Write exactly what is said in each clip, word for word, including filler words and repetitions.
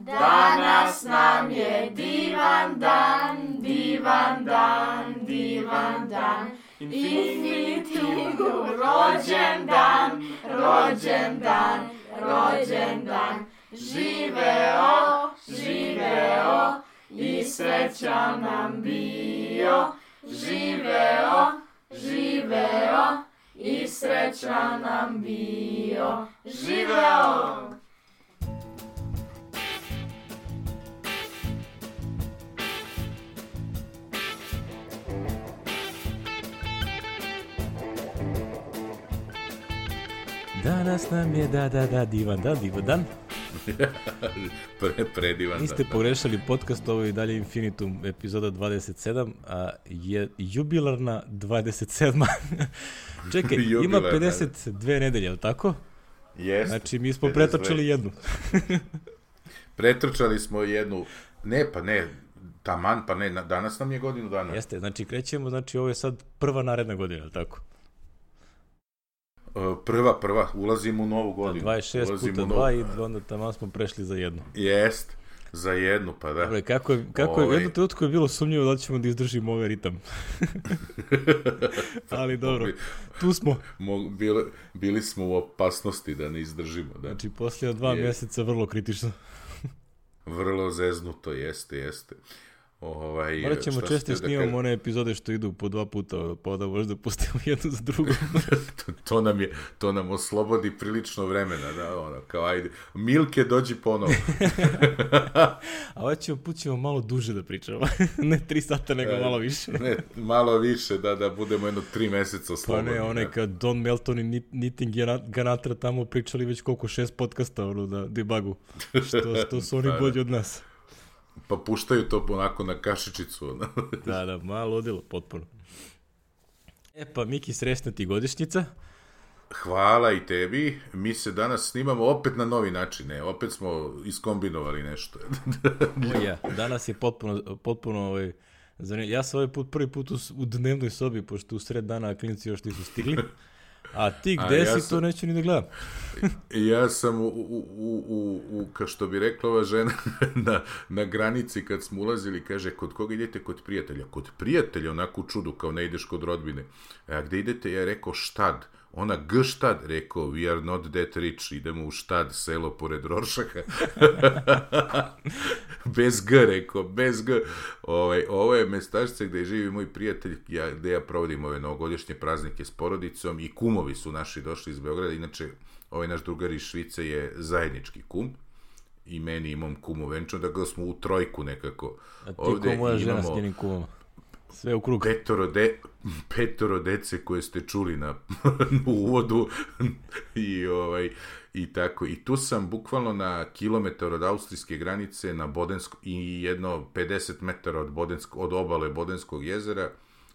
Danas nam je divan dan, divan dan, divan dan. Infinitum rođen dan, rođen dan, rođen dan. Živeo, živeo i srećan nam bio. Živeo, živeo i srećan nam bio. Živeo! Danas nam je da, da, da, divan dan, divan dan. Pre, predivan dan. Niste pogrešali podcast, ovo je i dalje Infinitum, epizoda dvadeset sedam, a je jubilarna dvadeset sedma. Čekaj, ima pedeset dve nedelje, je li tako? Jeste. Znači, mi smo pretrčali jednu. Pretrčali smo jednu, ne, pa ne, taman, pa ne, danas nam je godinu dana. Jeste, znači krećemo, znači ovo je sad prva naredna godina, je li tako? Prva, prva, ulazimo u novu godinu. dvadeset šest puta dva i onda tamo smo prešli za jednu. Jest, za jednu, pa da. Dobre, kako je, kako je, jedno trenutku je bilo sumnjivo da ćemo da izdržimo ovaj ritam. Ali dobro, tu smo. Bili, bili smo u opasnosti da ne izdržimo. Da. Znači, poslije dva je. mjeseca vrlo kritično. Vrlo zeznuto, jeste, jeste. Ovaj, Morat ćemo često snimamo da one epizode što idu po dva puta, pa da možda pustimo jednu za drugu. to, to, nam je, to nam oslobodi prilično vremena, da, ono, kao ajde, Milke dođi ponovo. A ovaj ćemo, put ćemo malo duže da pričamo, ne tri sata, nego malo više. Ne, malo više, da, da budemo jedno tri meseca slobodni. Pa ne, onaj kad Don Melton i Knitting Ganatra tamo pričali već koliko, šest podcasta, ono, na debugu, što, što su oni bolji od nas. Pa puštaju to onako na kašičicu. da, da, malo ludilo, potpuno. E pa, Miki, srećna ti godišnjica. Hvala i tebi. Mi se danas snimamo opet na novi način. Ne, opet smo iskombinovali nešto. o ja, danas je potpuno, potpuno ovaj, zanimljivo. Ja sam ovaj put prvi put u, u dnevnoj sobi, pošto u sred dana klinci još nisu stigli. A ti gde A si, ja sam, to neću ni da gledam. ja sam, u, u, u, u, kao što bi rekla ova žena, na, na granici kad smo ulazili, kaže, kod koga idete? Kod prijatelja. Kod prijatelja, onako u čudu, kao ne ideš kod rodbine. A gde idete? Ja rekao, Štad. Ona, G Štad, rekao, we are not that rich, idemo u Štad, selo pored Roršaka. Bez G, rekao, bez G. Ovaj, ovo je mestašce gde živi moj prijatelj, ja, gde ja provodim ove novogodišnje praznike s porodicom i kumovi su naši došli iz Beograda, inače ovaj naš drugar iz Švice je zajednički kum i meni i mom kumu venčan, da smo u trojku nekako. A ti ovde ko moja žena s njenim kumom? Sve u krug. Petoro, de, petoro dece koje ste čuli na, na uvodu i, ovaj, i tako. I tu sam bukvalno na kilometar od austrijske granice na Bodensko, i jedno pedeset metara od, Bodensko, od obale Bodenskog jezera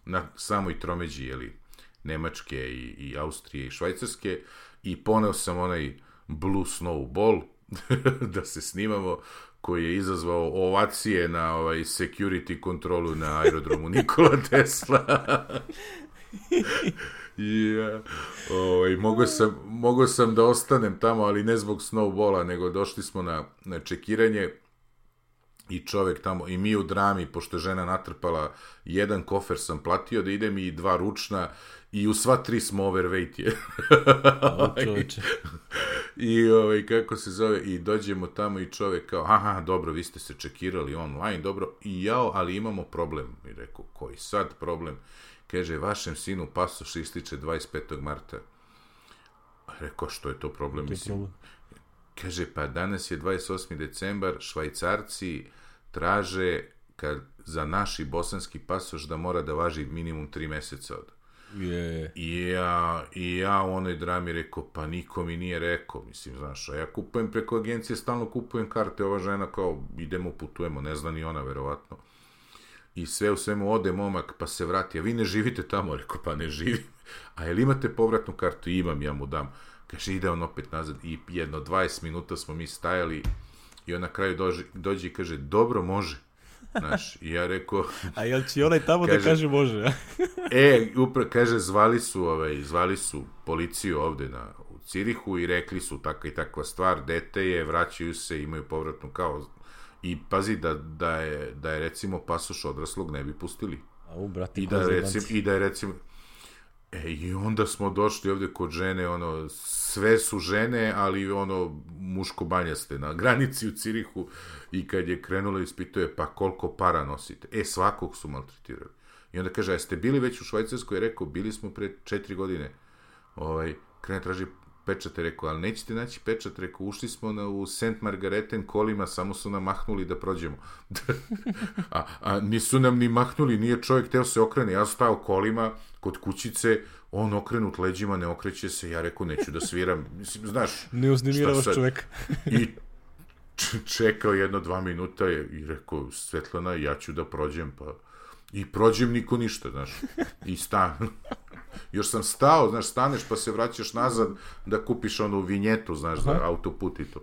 na samoj tromeđi, jeli, Nemačke i, i Austrije i Švajcarske, i poneo sam onaj Blue Snow Ball da se snimamo, koji je izazvao ovacije na ovaj security kontrolu na aerodromu Nikola Tesla. ja, ovaj, mogao sam, mogao sam da ostanem tamo, ali ne zbog snowballa, nego došli smo na, na čekiranje i čovek tamo, i mi u drami, pošto žena natrpala, jedan kofer sam platio da idem i dva ručna, i u sva tri smo overweight je. I ovaj, kako se zove, i dođemo tamo i čovek kao, aha, dobro, vi ste se čekirali online, dobro, i jao, ali imamo problem. I rekao, koji sad problem? Kaže, vašem sinu pasoš ističe dvadeset petog marta. Rekao, što je to problem? To je Mislim, problem. Kaže, pa danas je dvadeset osmi decembar, Švajcarci traže kad, za naš i bosanski pasoš da mora da važi minimum tri meseca od. Yeah. I ja, i ja u onoj drami rekao, pa niko mi nije rekao, mislim, znaš, a ja kupujem preko agencije, stalno kupujem karte, ova žena kao, idemo, putujemo, ne zna ni ona, verovatno. I sve u svemu ode momak, pa se vrati, a vi ne živite tamo, rekao, pa ne živim. A jel imate povratnu kartu? Imam, ja mu dam. Kaže, ide on opet nazad, i jedno dvadeset minuta smo mi stajali, i on na kraju dođe, dođe i kaže, dobro, može. Znaš, i ja rekao... A jel će onaj tamo kaže, da kaže može? e, upra, kaže, zvali su, ovaj, zvali su policiju ovde na, u Cirihu i rekli su takva i takva stvar, dete je, vraćaju se, imaju povratnu kao... I pazi da, da, je, da je recimo pasoš odraslog ne bi pustili. A u, brati, I da, recimo, I da je recimo... E, i onda smo došli ovdje kod žene, ono, sve su žene, ali ono, muško banjaste na granici u Cirihu i kad je krenula ispituje, pa koliko para nosite? E, svakog su maltretirali. I onda kaže, a jeste bili već u Švajcarskoj? Rekao, bili smo pre četiri godine. Ovaj, krene traži pečate, rekao, ali nećete naći pečat, rekao, ušli smo na, u Saint Margareten kolima, samo su nam mahnuli da prođemo. a, a nisu nam ni mahnuli, nije čovjek teo se okrene, ja stao kolima kod kućice, on okrenut leđima, ne okreće se, ja rekao, neću da sviram, mislim, znaš, ne uznemiravaš čovjek. I čekao jedno, dva minuta je, i rekao, Svetlana, ja ću da prođem, pa i prođem, niko ništa, znaš, i stan. Još sam stao, znaš, staneš pa se vraćaš nazad da kupiš onu vinjetu, znaš, za autoput i to.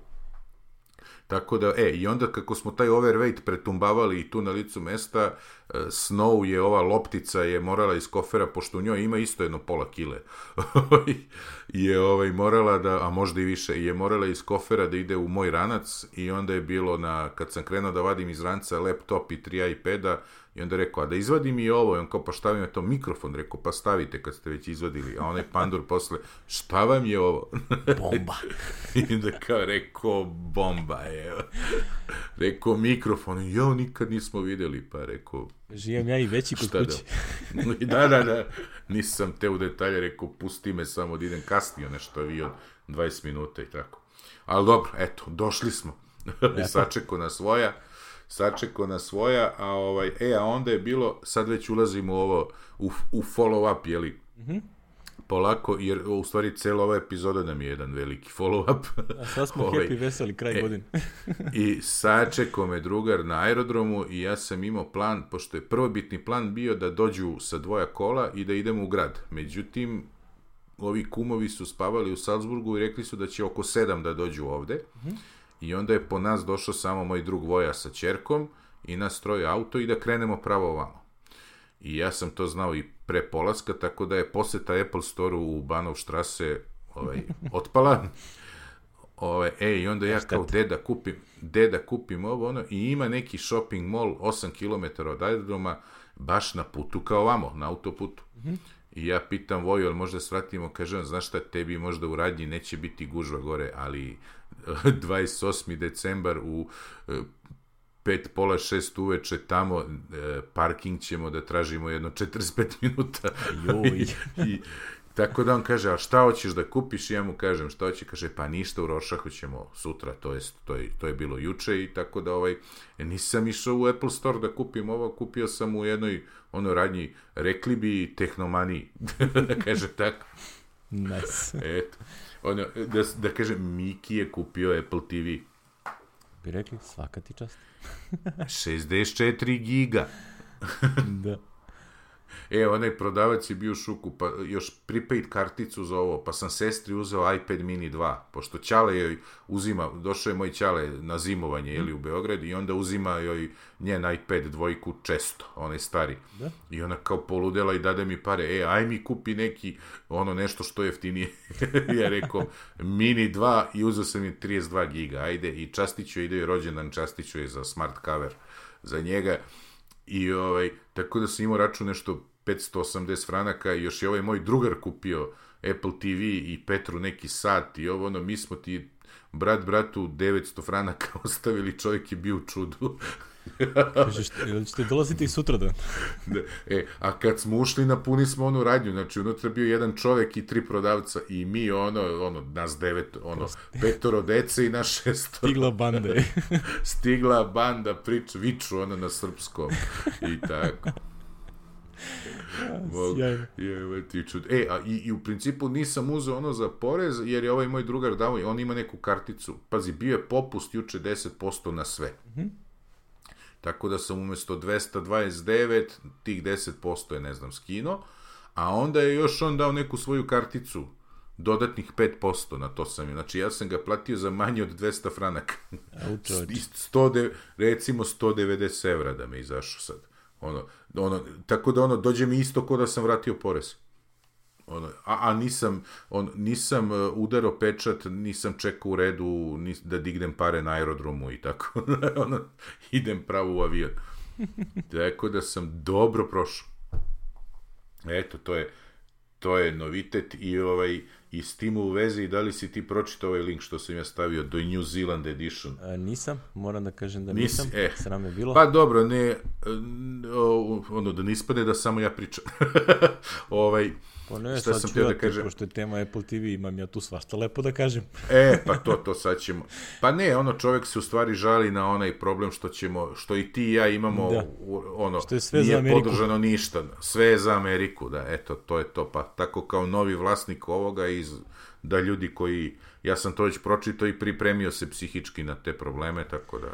Tako da, e, i onda kako smo taj overweight pretumbavali i tu na licu mesta, Snow je, ova loptica je morala iz kofera, pošto u njoj ima isto jedno pola kile, je ovaj, morala da, a možda i više, je morala iz kofera da ide u moj ranac i onda je bilo na, kad sam krenuo da vadim iz ranca laptop i tri iPada, i onda rekao, a da izvadim i ovo, i on kao, pa šta vam je to mikrofon, rekao, pa stavite kad ste već izvadili, a onaj pandur posle, šta vam je ovo? Bomba. I onda kao, rekao, bomba je, rekao, mikrofon, jo, nikad nismo vidjeli, pa rekao, živim ja i veći kod kući. Da, da, da, nisam te u detalje, rekao, pusti me samo da idem kasnije, nešto avion, dvadeset minuta i tako. Ali dobro, eto, došli smo, sačeko na svoja, sačekao na svoja, a ovaj, e, a onda je bilo, sad već ulazimo u ovo, u, u follow-up, jeli, mm-hmm. polako, jer u stvari cijela ova epizoda nam je jedan veliki follow-up. A sad smo ovaj, happy, veseli, kraj e, godine. I sačekao me drugar na aerodromu i ja sam imao plan, pošto je prvobitni plan bio da dođu sa dvoja kola i da idemo u grad. Međutim, ovi kumovi su spavali u Salzburgu i rekli su da će oko sedam da dođu ovde. Mm-hmm. I onda je po nas došao samo moj drug Voja sa ćerkom i nas troje auto i da krenemo pravo ovamo. I ja sam to znao i pre polaska, tako da je poseta Apple Store-u u Bahnhofstrasse ovaj, otpala. Ovaj, e, i onda ja kao deda kupim, deda kupim ovo, ono, i ima neki shopping mall osam kilometara od aerodroma, baš na putu kao ovamo, na autoputu. Mm-hmm. I ja pitam Voju, ali možda svratimo, kažem, znaš šta, tebi možda u radnji neće biti gužva gore, ali dvadeset osmi decembar u pet, pola šest uveče tamo, parking ćemo da tražimo jedno četrdeset pet minuta. I, i, tako da on kaže, a šta hoćeš da kupiš? I ja mu kažem, šta hoće? Kaže, pa ništa, u Rošahu ćemo sutra, to, jest, to, je, to je bilo juče i tako da ovaj, nisam išao u Apple Store da kupim ovo, kupio sam u jednoj ono radnji, rekli bi tehnomaniji, da kaže tako. Nice. Eto. Ono, da, da kažem, Miki je kupio Apple T V. Bi rekli, svaka ti čast. šezdeset četiri giga. Da. E, onaj prodavac je bio u šuku, pa još prepaid karticu za ovo, pa sam sestri uzeo iPad mini dva, pošto Ćale joj uzima, došao je moj Ćale na zimovanje, jeli, u Beograd, i onda uzima joj njen iPad dvojku često, onaj stari. Da? I ona kao poludela i dade mi pare, e, aj mi kupi neki, ono nešto što je jeftinije. Ja rekao, mini dva i uzeo sam je trideset dva giga, ajde, i častiću ide joj rođendan, častiću je za smart cover za njega. I ovaj, tako da sam imao račun nešto petsto osamdeset franaka i još je ovaj moj drugar kupio Apple T V i Petru neki sat i ovo ono, mi smo ti brat bratu devetsto franaka ostavili, čovjek je bio u čudu. Kažeš, ili ćete dolaziti i sutra da? E, a kad smo ušli, napuni smo onu radnju, znači unutra bio jedan čovjek i tri prodavca i mi ono, ono, nas devet, ono, petoro dece i naš šestoro. Stigla banda. Stigla banda, priču, viču ono na srpskom i tako. Mog, je, e, a i, i u principu nisam uzeo ono za porez, jer je ovaj moj drugar dao, on ima neku karticu, pazi, bio je popust juče deset posto na sve. Mhm. Tako da sam umjesto dvesta dvadeset devet, tih deset posto je, ne znam, skino, a onda je još on dao neku svoju karticu, dodatnih pet posto na to sam je. Znači, ja sam ga platio za manje od dvesta franaka. sto, recimo sto devedeset evra da me izašao sad. Ono, ono, tako da ono, dođe mi isto ko da sam vratio porez. Ono, a, a nisam, on, nisam udarao pečat, nisam čekao u redu nis, da dignem pare na aerodromu i tako. ono, idem pravo u avion. Tako da sam dobro prošao. Eto, to je, to je novitet i, ovaj, i s tim u vezi, da li si ti pročitao ovaj link što sam ja stavio do New Zealand Edition? A, nisam, moram da kažem da nisam, Nis, eh. sram je bilo. Pa dobro, ne, ono, da ne ispade da samo ja pričam. ovaj, Pa ne, šta sad sam ću htio ja da kažem? pošto je tema Apple T V, imam ja tu svašta lepo da kažem. E, pa to, to sad ćemo. Pa ne, ono, čovjek se u stvari žali na onaj problem što ćemo, što i ti i ja imamo, da. ono, što je sve nije za Ameriku. podržano ništa. Sve je za Ameriku, da, eto, to je to. Pa tako kao novi vlasnik ovoga, iz, da ljudi koji, ja sam to već pročitao i pripremio se psihički na te probleme, tako da...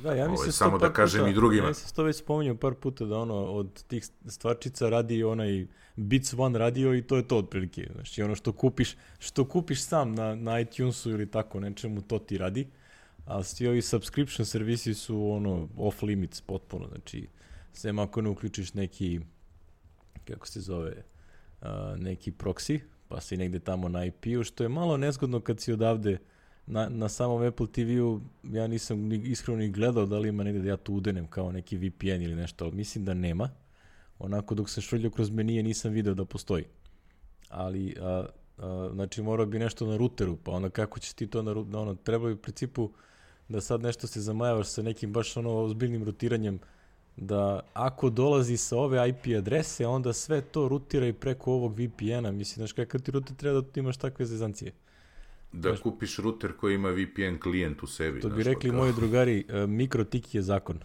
Da, ja ovaj, samo da kažem puta, i drugima. Ja sam to već spominjao par puta da ono od tih stvarčica radi onaj Beats One radio i to je to otprilike. Znači ono što kupiš, što kupiš sam na, na iTunesu ili tako nečemu, to ti radi. A svi ovi subscription servisi su ono off limits potpuno. Znači sem ako ne uključiš neki, kako se zove, uh, neki proxy, pa si negde tamo na I P-u, što je malo nezgodno kad si odavde Na, na samom Apple T V-u ja nisam ni, iskreno ni gledao da li ima negde da ja tu udenem kao neki V P N ili nešto, ali mislim da nema. Onako dok se švrljio kroz menije nisam video da postoji. Ali, a, a, znači morao bi nešto na ruteru, pa onda kako ćeš ti to na ruteru, ono, treba bi u principu da sad nešto se zamajavaš sa nekim baš ono ozbiljnim rutiranjem, da ako dolazi sa ove I P adrese, onda sve to rutira i preko ovog V P N-a. Mislim, znaš kakav ti ruter treba da imaš takve zezancije. Da znaš, kupiš ruter koji ima V P N klijent u sebi. To bi rekli moji drugari, uh, mikrotik je zakon.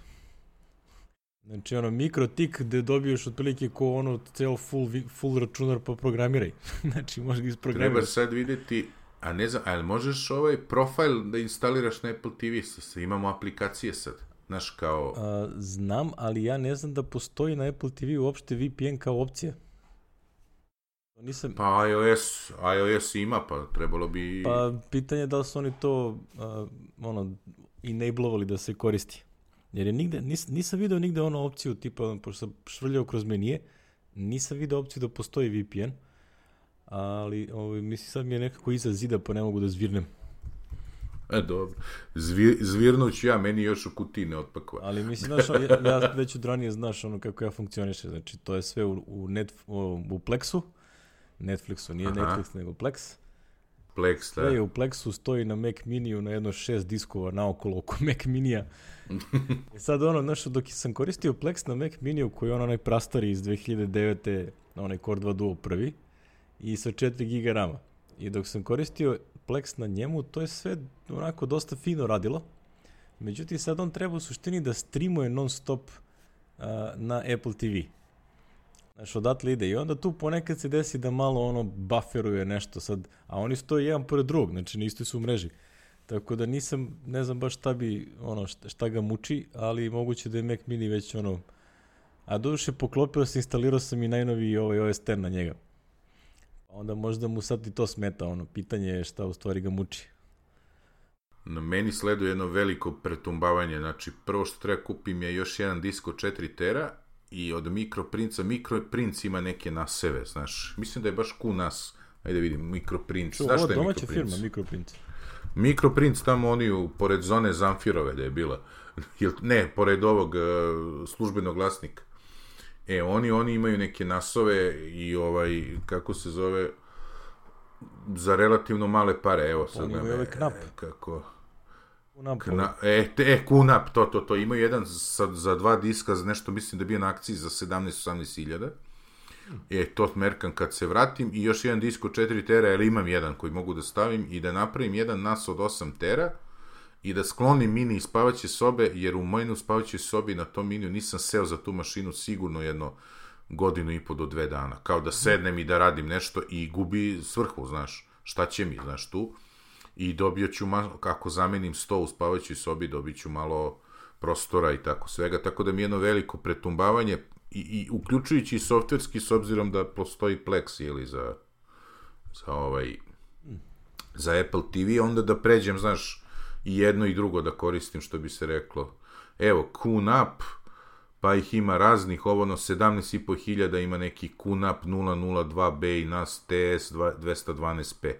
Znači ono, mikrotik gde dobiješ otprilike ko ono ceo full, full računar pa programiraj. Znači možeš ga isprogramirati. Treba sad vidjeti, a ne znam, ali možeš ovaj profil da instaliraš na Apple T V, imamo aplikacije sad. Znaš kao... Uh, znam, ali ja ne znam da postoji na Apple T V uopšte V P N kao opcija. Nisam... Pa iOS, iOS ima, pa trebalo bi... Pa pitanje je da li su oni to uh, ono, enablovali da se koristi. Jer je nigde, nis, nisam video nigde ono opciju tipa, pošto sam švrljao kroz menije, nisam video opciju da postoji V P N, ali ovaj, mislim sad mi je nekako iza zida pa ne mogu da zvirnem. E, dobro. Zvir, zvirnuću ja, meni još u kutiji ne otpakova. Ali mislim, znaš, ja, ja već od ranije znaš ono kako ja funkcioniše, znači to je sve u, u, net, u, u Plexu, Netflixu, nije Aha. Netflix, nego Plex. Plex, da. Sve je u Plexu, stoji na Mac Miniju na jedno šest diskova naokolo oko Mac Minija. I sad ono, znaš, dok sam koristio Plex na Mac Miniju, koji je on onaj prastari iz dve hiljade devete. onaj Core dva Duo prvi, i sa četiri giga rama. I dok sam koristio Plex na njemu, to je sve onako dosta fino radilo. Međutim, sad on treba u suštini da streamuje non stop uh, na Apple T V. Znaš, odatle ide. I onda tu ponekad se desi da malo ono bufferuje nešto sad, a oni stoje jedan pored drugog, znači na istoj su u mreži. Tako da nisam, ne znam baš šta bi, ono, šta, šta ga muči, ali moguće da je Mac Mini već ono, a doduše poklopio se, instalirao sam i najnoviji ovaj O S deset na njega. Onda možda mu sad i to smeta, ono, pitanje je šta u stvari ga muči. Na meni sleduje jedno veliko pretumbavanje, znači prvo što treba kupim je još jedan disk od četiri tera i od Microprinca, Microprinc ima neke naseve, znaš, mislim da je baš Q N A S, ajde vidim, Microprinc, Čo, znaš šta je domaća Microprinc? firma, Microprinc. Microprinc tamo oni u, pored zone Zamfirove da je bila, ne, pored ovog uh, službenog glasnika. E, oni, oni imaju neke nasove i ovaj, kako se zove, za relativno male pare, evo sad. Oni imaju ovaj knap. E, kako... Kunap. Kna, e, te, e, Kunap, to, to, to. Imaju jedan sa, za dva diska, za nešto mislim da je bio na akciji za sedamnaest osamnaest hiljada. E, to merkam kad se vratim i još jedan disk od četiri tera, jer imam jedan koji mogu da stavim i da napravim jedan nas od osam tera i da sklonim mini iz spavaće sobe, jer u mojoj spavaćoj sobi na tom miniju nisam seo za tu mašinu sigurno jedno godinu i po do dve dana. Kao da sednem i da radim nešto i gubi svrhu, znaš, šta će mi, znaš, tu. I dobio ću, malo, kako zamenim sto u spavaćoj sobi, dobit ću malo prostora i tako svega, tako da mi je jedno veliko pretumbavanje, i, i uključujući i softverski, s obzirom da postoji Plex, ili za, za ovaj, za Apple T V, onda da pređem, znaš, i jedno i drugo da koristim, što bi se reklo. Evo, Q N A P, pa ih ima raznih, ovo ono sedamnaest i po hiljada ima neki Q N A P nula nula dva B i N A S T S dvesta dvanaest P.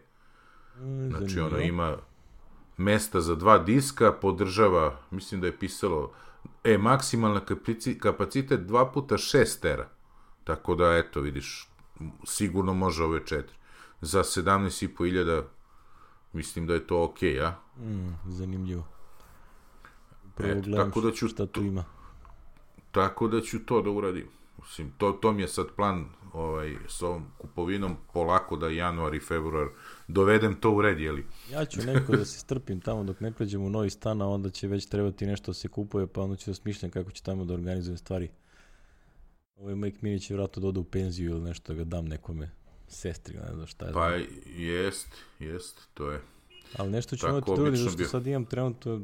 Znači ono ima mesta za dva diska, podržava, mislim da je pisalo, e, maksimalna kapacitet dva puta šest tera. Tako da, eto, vidiš, sigurno može ove četiri. Za sedamnaest i po hiljada mislim da je to okej, okay, a? Mm, zanimljivo. Prvo Eto, gledam tako da ću šta tu ima. Tako da ću to da uradim. Mislim, to, to mi je sad plan ovaj, s ovom kupovinom, polako da januar i februar dovedem to u red, jeli? Ja ću neko da se strpim tamo dok ne pređem u novi stan, a onda će već trebati nešto da se kupuje, pa onda ću da smišljam kako ću tamo da organizujem stvari. Ovaj Mike Mini će vratno da ode u penziju ili nešto, da ga dam nekome sestri, ne znam šta je. Pa jest, jest, to je. Ali nešto ću imati da uradim, zašto sad imam trenutno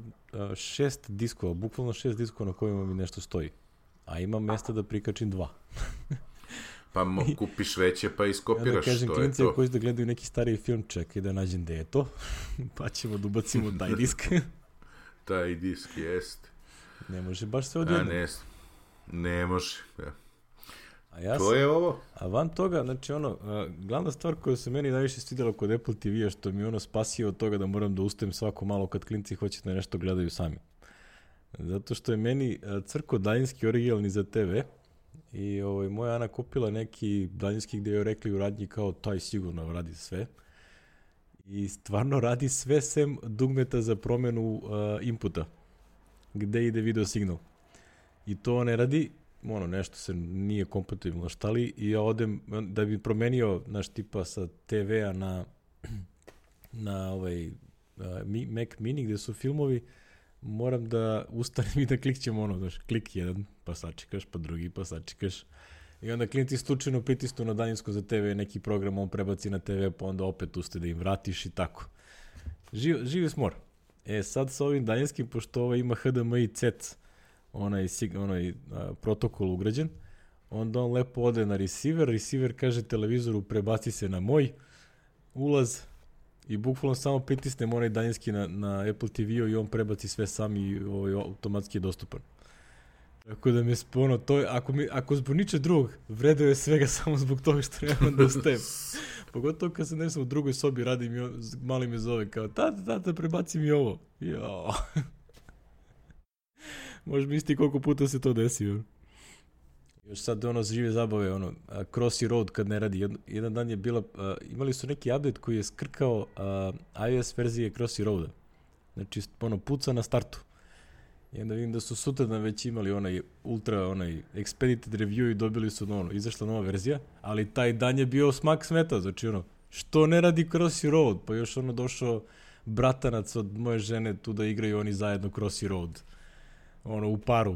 šest diskova, bukvalno šest diskova na kojima mi nešto stoji. A imam mjesta da prikačim dva. Pa mo, kupiš veće pa iskopiraš, ja da kažem, to je to. Koji da gledaju neki stariji film, čekaj da nađem gde je to, pa ćemo da ubacimo taj disk. Taj disk, jest. Ne može baš sve odjedno. Ne, ne može, ja. A ja to sam, je ovo. A van toga, znači ono, a, glavna stvar koja se meni najviše svidjela kod Apple T V-a, što mi ono spasio od toga da moram da ustajem svako malo kad klinci hoće da nešto gledaju sami. Zato što je meni crko daljinski originalni za te ve i ovaj, moja Ana kupila neki daljinski gdje joj rekli u radnji kao taj sigurno radi sve. I stvarno radi sve sem dugmeta za promjenu uh, inputa, gde ide video signal. I to ne radi, ono, nešto se nije kompatibilno štali i ja odem, da bi promenio, naš tipa sa te ve-a na, na ovaj, uh, Mac Mini gde su filmovi, moram da ustanem i da klikćem ono, znaš, klik jedan, pa sačekaš, pa drugi, pa sačekaš. I onda klijenti slučajno pritisnu na daljinsko za te ve neki program, on prebaci na te ve, pa onda opet uste da im vratiš i tako. Živ, živi smor. E, sad sa ovim daljinskim, pošto ovo ima H D M I C E T, onaj, onaj a, protokol ugrađen, onda on lepo ode na receiver, receiver kaže televizoru prebaci se na moj ulaz i bukvalno samo pritisnem onaj daljinski na, na Apple T V-u i on prebaci sve sam i ovaj, automatski je dostupan. Tako da mi je ono, to je, ako, mi, ako zbog niče drugog, vredeo je svega samo zbog toga što nemam da ustajem. Pogotovo kad se nešto u drugoj sobi radim i mali me zove kao, tata, tata, prebaci mi ovo. Jao. Možeš misliti koliko puta se to desi. Ono. Još sad ono žive zabave, ono, Crossy Road kad ne radi. Jedan, jedan dan je bila, uh, imali su neki update koji je skrkao uh, iOS verzije Crossy Roada. Znači, ono, puca na startu. I onda vidim da su sutradan već imali onaj ultra, onaj expedited review i dobili su, ono, izašla nova verzija, ali taj dan je bio smak smeta, znači, ono, što ne radi Crossy Road? Pa još ono došao bratanac od moje žene tu da igraju oni zajedno Crossy Road. Ono, u paru.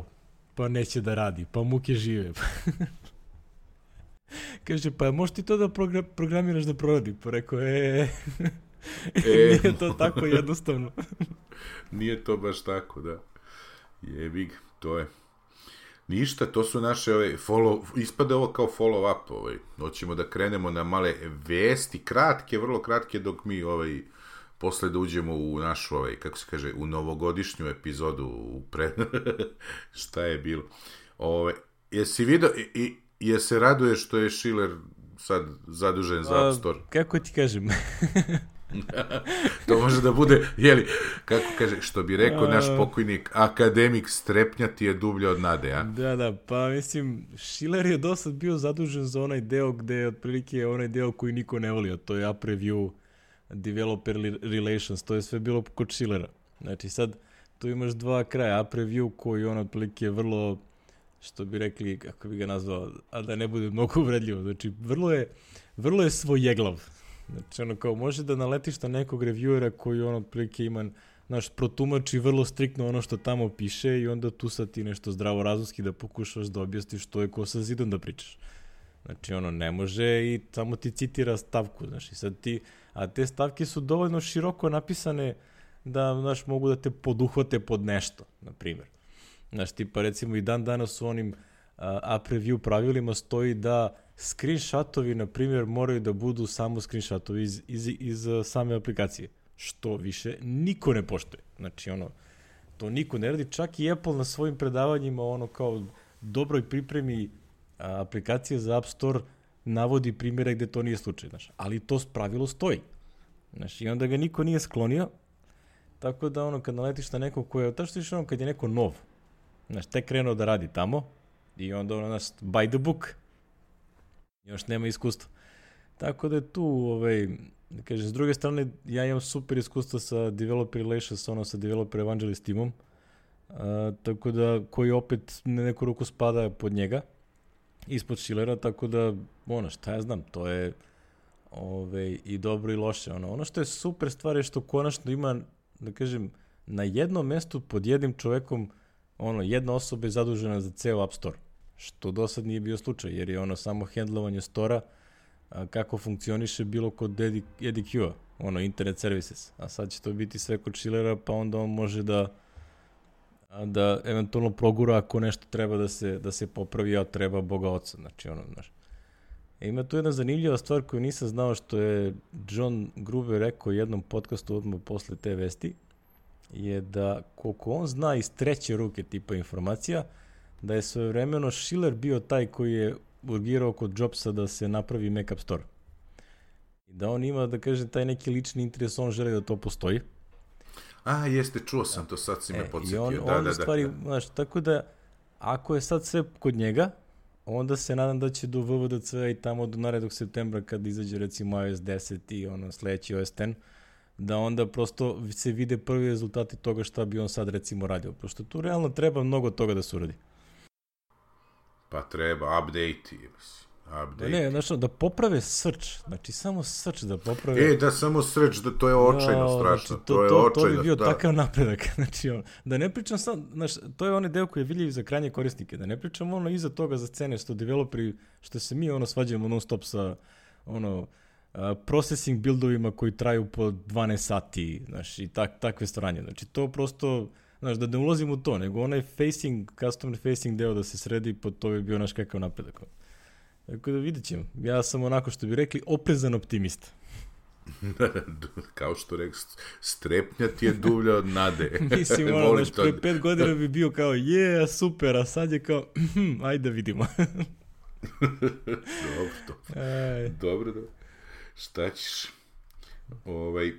Pa neće da radi, pa muke žive. Kaže, pa možeš ti to da program, programiraš da proradi? Pa rekao, e, e. Nije to tako jednostavno. Nije to baš tako, da. Jebig, to je. Ništa, to su naše, ovaj, follow, ispade ovo kao follow up, ovaj. Hoćemo da krenemo na male vesti, kratke, vrlo kratke, dok mi, ovaj, posle da uđemo u našu, ovaj, kako se kaže, u novogodišnju epizodu, u pre... šta je bilo. Ove, jesi vidio, i, i je se raduje što je Schiller sad zadužen za App Store? A, kako ti kažem? To može da bude, jeli, kako kaže, što bi rekao naš pokojnik, akademik strepnjati je dublje od nade, a? Da, da, pa mislim, Schiller je dosad bio zadužen za onaj deo gde je otprilike onaj deo koji niko ne voli, a to je App Review, Developer Relations, to je sve bilo kod Schillera. Znači sad, tu imaš dva kraja, App Review koji on otprilike je vrlo, što bi rekli, kako bi ga nazvao, a da ne bude mnogo uvredljivo, znači vrlo je, vrlo je svojeglav. Znači ono kao može da naletiš na nekog reviewera koji on otprilike ima, naš protumači vrlo striktno ono što tamo piše i onda tu sad ti nešto zdravorazumski da pokušaš da objasniš što je ko sa zidom da pričaš. Znači ono ne može i samo ti citira stavku, znači sad ti, a te stavke su dovoljno široko napisane da, znaš, mogu da te poduhvate pod nešto, na primjer. Znaš, tipa recimo i dan danas u onim uh, app review pravilima stoji da screenshotovi, na primjer, moraju da budu samo screenshotovi iz, iz, iz, iz same aplikacije. Što više niko ne poštuje. Znači, ono, to niko ne radi. Čak i Apple na svojim predavanjima, ono, kao dobroj pripremi a, aplikacije za App Store navodi primjere gde to nije slučaj, znaš. Ali to pravilo stoji. Znaš, i onda ga niko nije sklonio, tako da ono, kad naletiš na nekog ko je, tačno što ono, kad je neko nov, znaš, tek krenuo da radi tamo, i onda ono, znaš, by the book, još nema iskustva. Tako da je tu, ovaj, da kažem, s druge strane, ja imam super iskustva sa Developer Relations, ono, sa Developer Evangelist timom, uh, tako da, koji opet na neku ruku spada pod njega, ispod Schillera, tako da, ono, šta ja znam, to je ove, i dobro i loše. Ono, ono što je super stvar je što konačno ima, da kažem, na jednom mestu pod jednim čovekom, ono, jedna osoba je zadužena za ceo App Store, što do sad nije bio slučaj, jer je ono samo hendlovanje stora, a, kako funkcioniše bilo kod E D Q-a, ono, Internet Services, a sad će to biti sve kod Schillera, pa onda on može da da eventualno progura ako nešto treba da se, da se popravi, a treba Boga oca, znači ono, znaš. E, ima tu jedna zanimljiva stvar koju nisam znao, što je John Gruber rekao u jednom podcastu odmah posle te vesti, je da koliko on zna iz treće ruke tipa informacija, da je svojevremeno Schiller bio taj koji je urgirao kod Jobsa da se napravi Mac App Store. I da on ima, da kažem, taj neki lični interes, on želi da to postoji. A, jeste, čuo sam to, sad si me e, podsjetio. On, da, on da, stvari, da. Znaš, tako da, ako je sad sve kod njega, onda se nadam da će do V V D C i tamo do narednog septembra, kad izađe recimo iOS deset i ono sledeći O S deset, da onda prosto se vide prvi rezultati toga šta bi on sad recimo radio. Pošto tu realno treba mnogo toga da se uradi. Pa treba, update-i, mislim. Update. Ne, znači da poprave search, znači samo search da poprave. E, da samo search, da to je očajno no, strašno, znači, to, to je to, očajno. To bi bio da. takav napredak, znači on, da ne pričam sam, znaš, to je onaj deo koji je vidljiv za krajnje korisnike, da ne pričam ono iza toga za scene što developeri, što se mi ono svađamo non stop sa ono uh, processing buildovima koji traju po dvanaest sati, znaš, i tak, takve stranje, znači to prosto, znaš, da ne ulazim u to, nego onaj facing, customer facing deo da se sredi, po to bi bio naš kakav napredak. Tako da vidjet ćemo. Ja sam onako što bi rekli oprezan optimista. Kao što rekao, strepnja ti je dublja od nade. Mislim, ono, znaš, pre pet godina bi bio kao, je, super, a sad je kao, ajde da vidimo. Dobro, dobro. Aj. Dobro, dobro. Šta ćeš? Ovaj...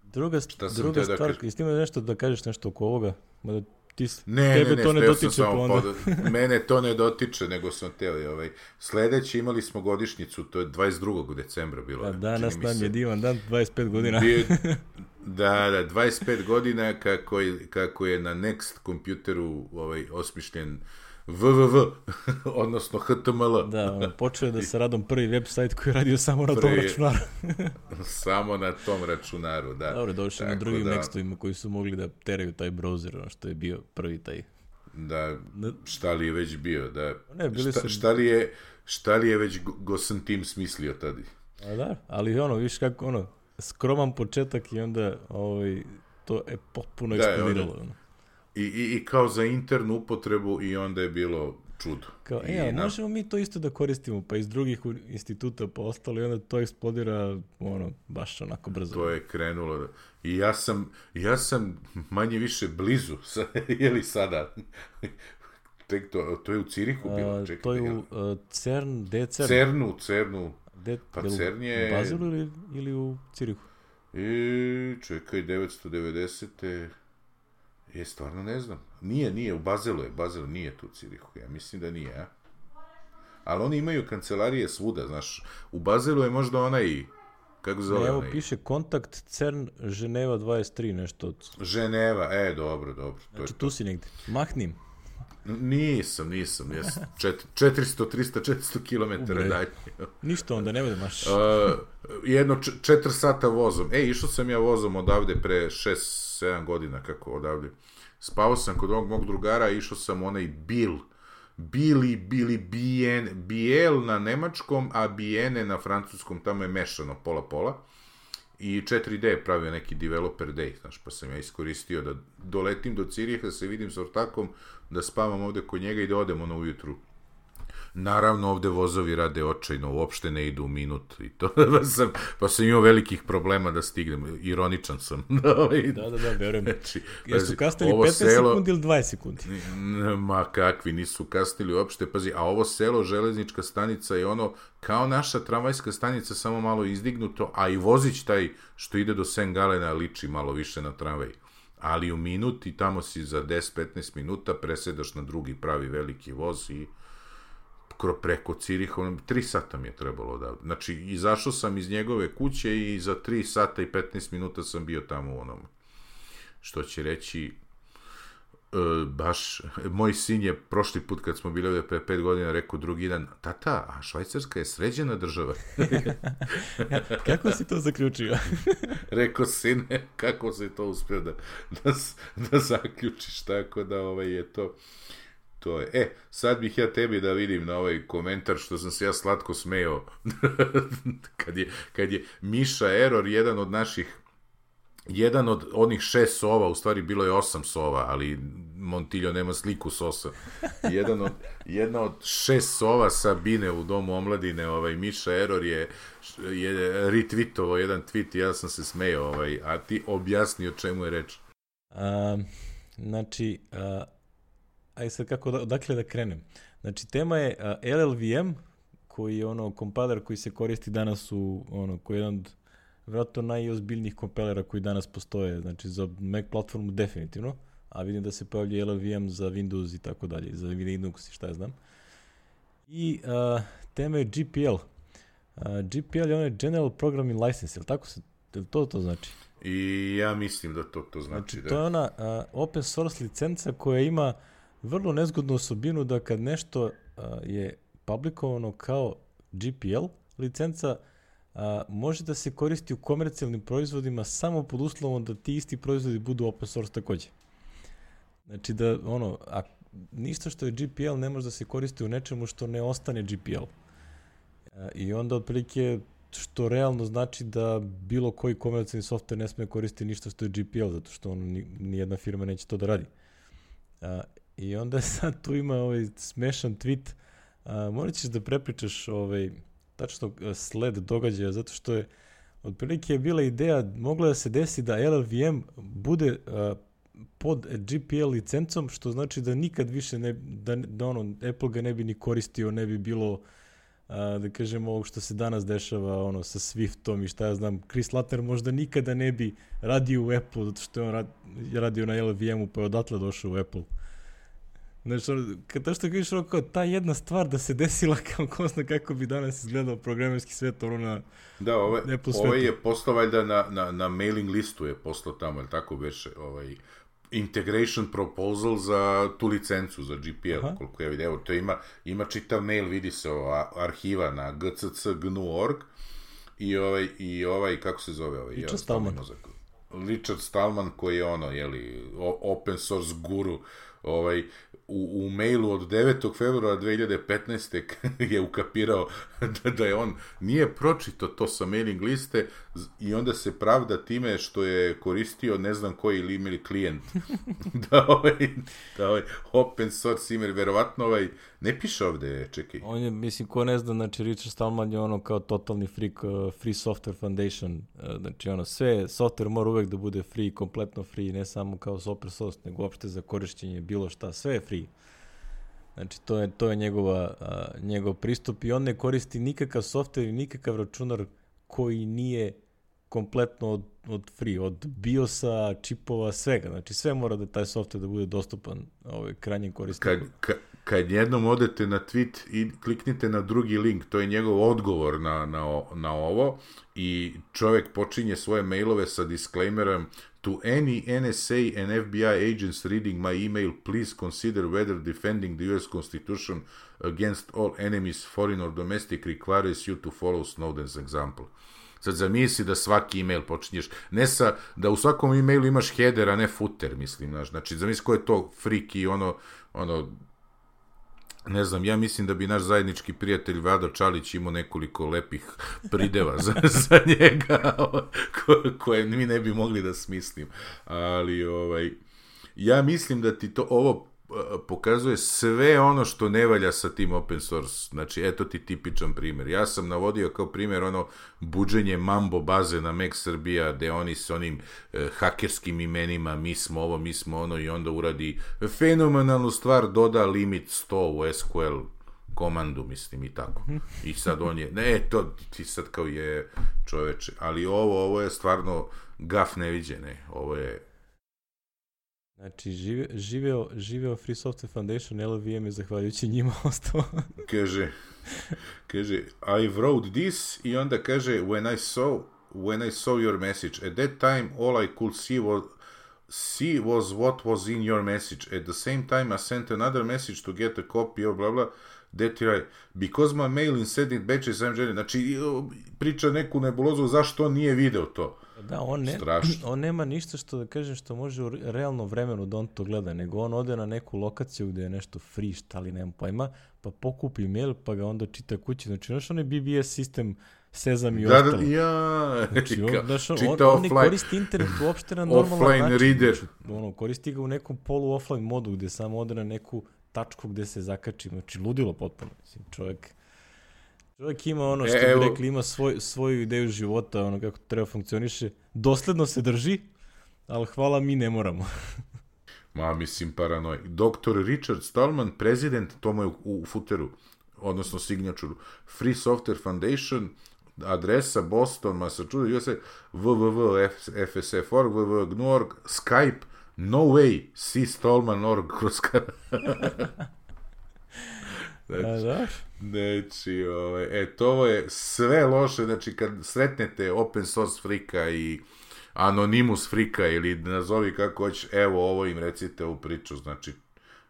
Druga, druga stvar, da kaž... jesi ti ima nešto da kažeš nešto oko ovoga? Mada ti, ne, tebe ne, ne, to ne dotiče, pa onda... pod... Mene to ne dotiče, nego sam teo. Ovaj. Sledeći imali smo godišnjicu, to je dvadeset drugog decembra bilo. A danas nam se... je divan dan, dvadeset pet godina. Bio... Da, da, dvadeset pet godina kako je, kako je na Next kompjuteru ovaj, osmišljen W W W, odnosno H T M L. Da, on počeo je da sa radom prvi web sajt koji je radio samo na prvi, tom računaru. Samo na tom računaru, da. Dobro, došli na drugim da... Nextovima koji su mogli da teraju taj browser, ono što je bio prvi taj. Da, šta li je već bio, da. Ne, bili šta, su... šta, li je, šta li je već Gosan Tim smislio tada? A da, ali ono, viš kako, ono, skroman početak i onda ovaj, to je potpuno da, eksplodiralo. Ono. I, i, I kao za internu upotrebu i onda je bilo čudo. Kao, e, ali na... možemo mi to isto da koristimo, pa iz drugih instituta pa ostalo i onda to eksplodira, ono, baš onako brzo. To je krenulo. Da... I ja sam, ja sam manje više blizu, je li sada? Tek to, to je u Cirihu bilo. Čekaj, to je u uh, CERN, gde je CERN? CERNu, CERNu. De, pa CERN je... U Bazilu ili, ili u Cirihu? I, čekaj, devetsto devedesete Je, stvarno ne znam. Nije, nije, u Bazelu je. Bazelu nije tu u Cirihu. Ja mislim da nije, a? Ali oni imaju kancelarije svuda, znaš. U Bazelu je možda onaj... Kako zove evo onaj? Piše kontakt CERN Ženeva dvadeset tri, nešto od... Ženeva, e, dobro, dobro. To znači, je tu to. si negde. Mahnim. Nisam, nisam. Ja sam čet, četiristo, tristo, četiristo kilometara dalje. Ništa onda, ne budemaš. Uh, jedno č- četiri sata vozom. E, išao sam ja vozom odavde pre šest sedam godina, kako odavde. Spao sam kod ovog mog drugara, išao sam onaj Bil. Bili, bili, Bien, Biel na nemačkom, a Biene na francuskom, tamo je mešano pola-pola. I četiri D je pravio neki developer day, znaš, pa sam ja iskoristio da doletim do Ciriha, da se vidim s ortakom, da spavam ovde kod njega i da odem ono ujutru Naravno, ovde vozovi rade očajno, uopšte ne idu u minut i to, pa sam, pa sam imao velikih problema da stignem, ironičan sam. Da, da, da, verujem. Znači, jesu kasnili petnaest selo, sekundi ili dvadeset sekundi? Ma kakvi, nisu kasnili uopšte, pazi, a ovo selo, železnička stanica je ono, kao naša tramvajska stanica, samo malo izdignuto, a i vozić taj što ide do Saint Galena liči malo više na tramvaj. Ali u minuti, tamo si za deset do petnaest minuta, presedaš na drugi pravi veliki voz i preko Ciriha, tri sata mi je trebalo da... Znači, izašao sam iz njegove kuće i za tri sata i petnaest minuta sam bio tamo u onom. Što će reći, e, baš, moj sin je prošli put kad smo bili ovdje pre pet godina rekao drugi dan, tata, a Švajcarska je sređena država. Kako si to zaključio? Rekao, sine, kako se to uspio da, da, da zaključiš, tako da ovaj je to... To je. E, sad bih ja tebi da vidim na ovaj komentar što sam se ja slatko smejao kad je, kad je Miša Error, jedan od naših, jedan od onih šest sova, u stvari bilo je osam sova, ali Montiljo nema sliku s osam. Jedan od, jedna od šest sova Sabine u Domu omladine, ovaj, Miša Error je, je retweetovao jedan tweet i ja sam se smejao, ovaj, a ti objasni o čemu je reč. Um, znači, uh... aj sad kako, odakle da krenem. Znači, tema je uh, L L V M, koji je ono kompiler koji se koristi danas u, ono, koji je jedan od vjerojatno najozbiljnijih kompilera koji danas postoje, znači za Mac platformu definitivno, a vidim da se pojavlja L L V M za Windows i tako dalje, za Linux i šta ja znam. I uh, tema je G P L. Uh, G P L je onaj General Programming License, ili tako se, to to znači? I ja mislim da to to znači. Znači, da. to je ona uh, open source licenca koja ima vrlo nezgodnu osobinu da kad nešto uh, je publikovano kao G P L licenca, uh, može da se koristi u komercijalnim proizvodima samo pod uslovom da ti isti proizvodi budu open source takođe. Znači da, ono, a ništa što je G P L ne može da se koristi u nečemu što ne ostane G P L. Uh, I onda otprilike što realno znači da bilo koji komercijalni software ne sme koristiti ništa što je G P L, zato što ono, ni, nijedna firma neće to da radi. Uh, I onda sad tu ima ovaj smešan tweet, uh, morat ćeš da prepričaš ovaj, tačno sled događaja, zato što je otprilike je bila ideja, mogla da se desi da L L V M bude uh, pod G P L licencom, što znači da nikad više ne, da, da ono, Apple ga ne bi ni koristio, ne bi bilo, uh, da kažemo, ovog što se danas dešava ono, sa Swiftom i šta ja znam, Chris Latter možda nikada ne bi radio u Apple, zato što je on rad, radio na L L V M-u pa je odatle došao u Apple. Znači, kada što kažeš kao ta jedna stvar da se desila kao ko zna kako bi danas izgledao programerski svet ono na da, ove, Apple svetu. Ovaj je poslao valjda na, na, na mailing listu je poslao tamo, ali tako beše, ovaj, integration proposal za tu licencu, za G P L, aha, koliko ja vidim. Evo, to ima, ima čitav mail, vidi se ova arhiva na g c c g n u dot org i ovaj, i ovaj, kako se zove ovaj? Richard Stallman. Richard Stallman koji je ono, jeli, open source guru, ovaj, u, u mailu od devetog februara dve hiljade petnaeste je ukapirao da, da je on nije pročitao to sa mailing liste i onda se pravda time što je koristio ne znam koji email klijent da ovaj, da ovaj open source email, verovatno ovaj ne piše ovde, čekaj. On je, mislim, ko ne zna, znači Richard Stallman je ono kao totalni freak, uh, Free Software Foundation, uh, znači ono sve, software mora uvek da bude free, kompletno free, ne samo kao open source, nego uopšte za korišćenje bilo šta, sve je free. Znači to je, to je njegova, uh, njegov pristup i on ne koristi nikakav software i nikakav računar koji nije kompletno od, od free, od BIOS-a, čipova, svega. Znači sve mora da taj software da bude dostupan ovaj, krajnjem korisniku. Kad, ka, kad jednom odete na tweet i kliknite na drugi link, to je njegov odgovor na, na, na ovo i čovjek počinje svoje mailove sa disclaimerom to any N S A and F B I agents reading my email, please consider whether defending the U S Constitution against all enemies, foreign or domestic, requires you to follow Snowden's example. Sad zamisli da svaki email počinješ, ne sa, da u svakom emailu imaš header, a ne footer, mislim, znaš, znači zamisli ko je to freak i ono, ono, ne znam, ja mislim da bi naš zajednički prijatelj Vlado Čalić imao nekoliko lepih prideva za, za njega, ko, koje mi ne bi mogli da smislim, ali, ovaj, ja mislim da ti to, ovo, pokazuje sve ono što ne valja sa tim open source. Znači, eto ti tipičan primjer. Ja sam navodio kao primjer ono buđenje Mambo baze na Mac Srbija, gde oni s onim e, hakerskim imenima, mi smo ovo, mi smo ono, i onda uradi fenomenalnu stvar, doda limit sto u S Q L komandu, mislim, i tako. I sad on je, ne, to ti sad kao je čoveče, ali ovo, ovo je stvarno gaf neviđene, ovo je. Znači, žive, živeo, živeo Free Software Foundation, L V M je zahvaljujući njima ostao. kaže, kaže, I wrote this, i onda kaže, when I saw, when I saw your message, at that time, all I could see was, see was what was in your message. At the same time, I sent another message to get a copy of blah blah, that right, because my mail in sending batches, I'm ready. Znači, priča neku nebulozu, zašto on nije video to. Da, on, ne, on nema ništa što da kažem što može u realnom vremenu da on to gleda, nego on ode na neku lokaciju gde je nešto free, šta li nema pojma, pa pokupi mail, pa ga onda čita kući. Znači, znaš, on je B B S sistem, Sezam i da, ostalo. Da, ja, znači, on, znaš, on, on ne koristi internet uopšte na normalan način. Reader. Znači, ono, koristi ga u nekom polu-offline modu gde samo ode na neku tačku gde se zakači. Znači, ludilo potpuno. Mislim, čovjek... Čovjek ima ono što e, bi rekli, ima svoj, svoju ideju života, ono kako treba funkcioniše. Dosledno se drži, ali hvala, mi ne moramo. Ma, mislim, paranoj. doktor Richard Stallman, prezident, to mu je u, u footeru, odnosno signature, Free Software Foundation, adresa Boston, Massachusetts, www dot f s f dot org, www dot g n u dot org, Skype, no way, see Stallman dot org kroz Znači, da, znači ovaj, e, to je sve loše, znači kad sretnete open source frika i anonimus frika ili nazovi kako hoćeš, evo ovo im recite u priču, znači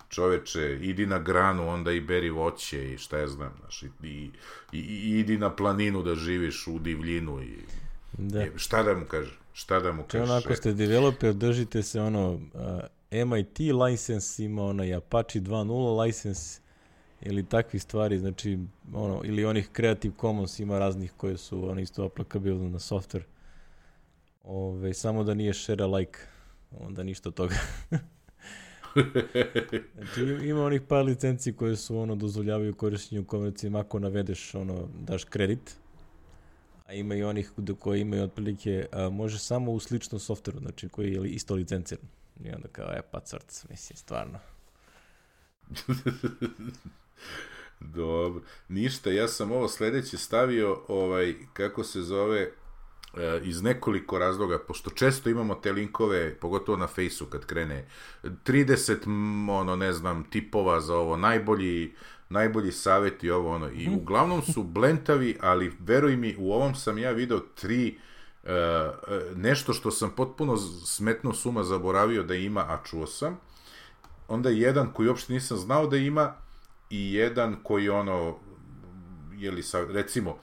čoveče, idi na granu, onda i beri voće i šta ja znam, znači, i, i, i idi na planinu da živiš u divljinu i da. I, šta da mu kažeš, šta da mu kažeš. Ako ste developer, držite se ono, uh, M I T license, ima onaj Apache dva nula license, ili takvih stvari, znači, ono, ili onih Creative Commons ima raznih koje su ono isto aplikabilne na software. Ove, samo da nije share alike, onda ništa od toga. Znači, ima onih par licenci koje su, ono, dozvoljavaju korištenju komercijima ako navedeš, ono, daš kredit, a ima i onih koji imaju otprilike, a, može samo u sličnom softveru, znači, koji je isto licenciran. I onda kao, e, pa crc, mislim, stvarno. Dobro, ništa, ja sam ovo sledeće stavio, ovaj, kako se zove, e, iz nekoliko razloga, pošto često imamo te linkove, pogotovo na Fejsu kad krene, trideset, ono, ne znam, tipova za ovo, najbolji, najbolji savjeti, ovo, ono, i uglavnom su blentavi, ali veruj mi, u ovom sam ja video tri, e, nešto što sam potpuno smetno suma zaboravio da ima, a čuo sam, onda jedan koji uopšte nisam znao da ima, i jedan koji ono, jeli sa, recimo,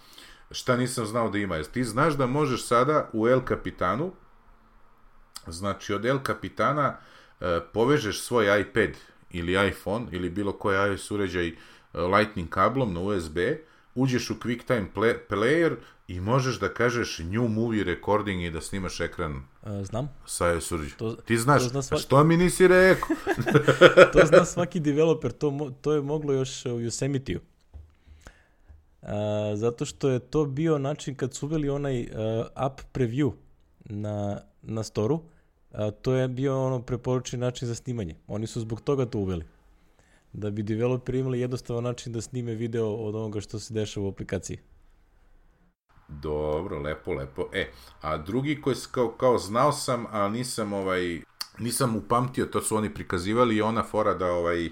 šta nisam znao da ima, jer ti znaš da možeš sada u El Capitanu, znači od El Capitana e, povežeš svoj iPad ili iPhone ili bilo koji iOS uređaj e, Lightning kablom na U S B, uđeš u QuickTime play, Player i možeš da kažeš new movie recording i da snimaš ekran. A, znam. Sa iOS uređaj. Ti znaš, zna svaki... što mi nisi rekao? To zna svaki developer, to, mo- to je moglo još u Yosemite-u. A, zato što je to bio način kad su uveli onaj uh, app preview na, na storu, a, to je bio ono preporučen način za snimanje. Oni su zbog toga to uveli. Da bi developeri imali jednostavan način da snime video od onoga što se dešava u aplikaciji. Dobro, lepo, lepo. E, a drugi koji kao, kao znao sam, a nisam ovaj, nisam upamtio, to su oni prikazivali i ona fora da ovaj,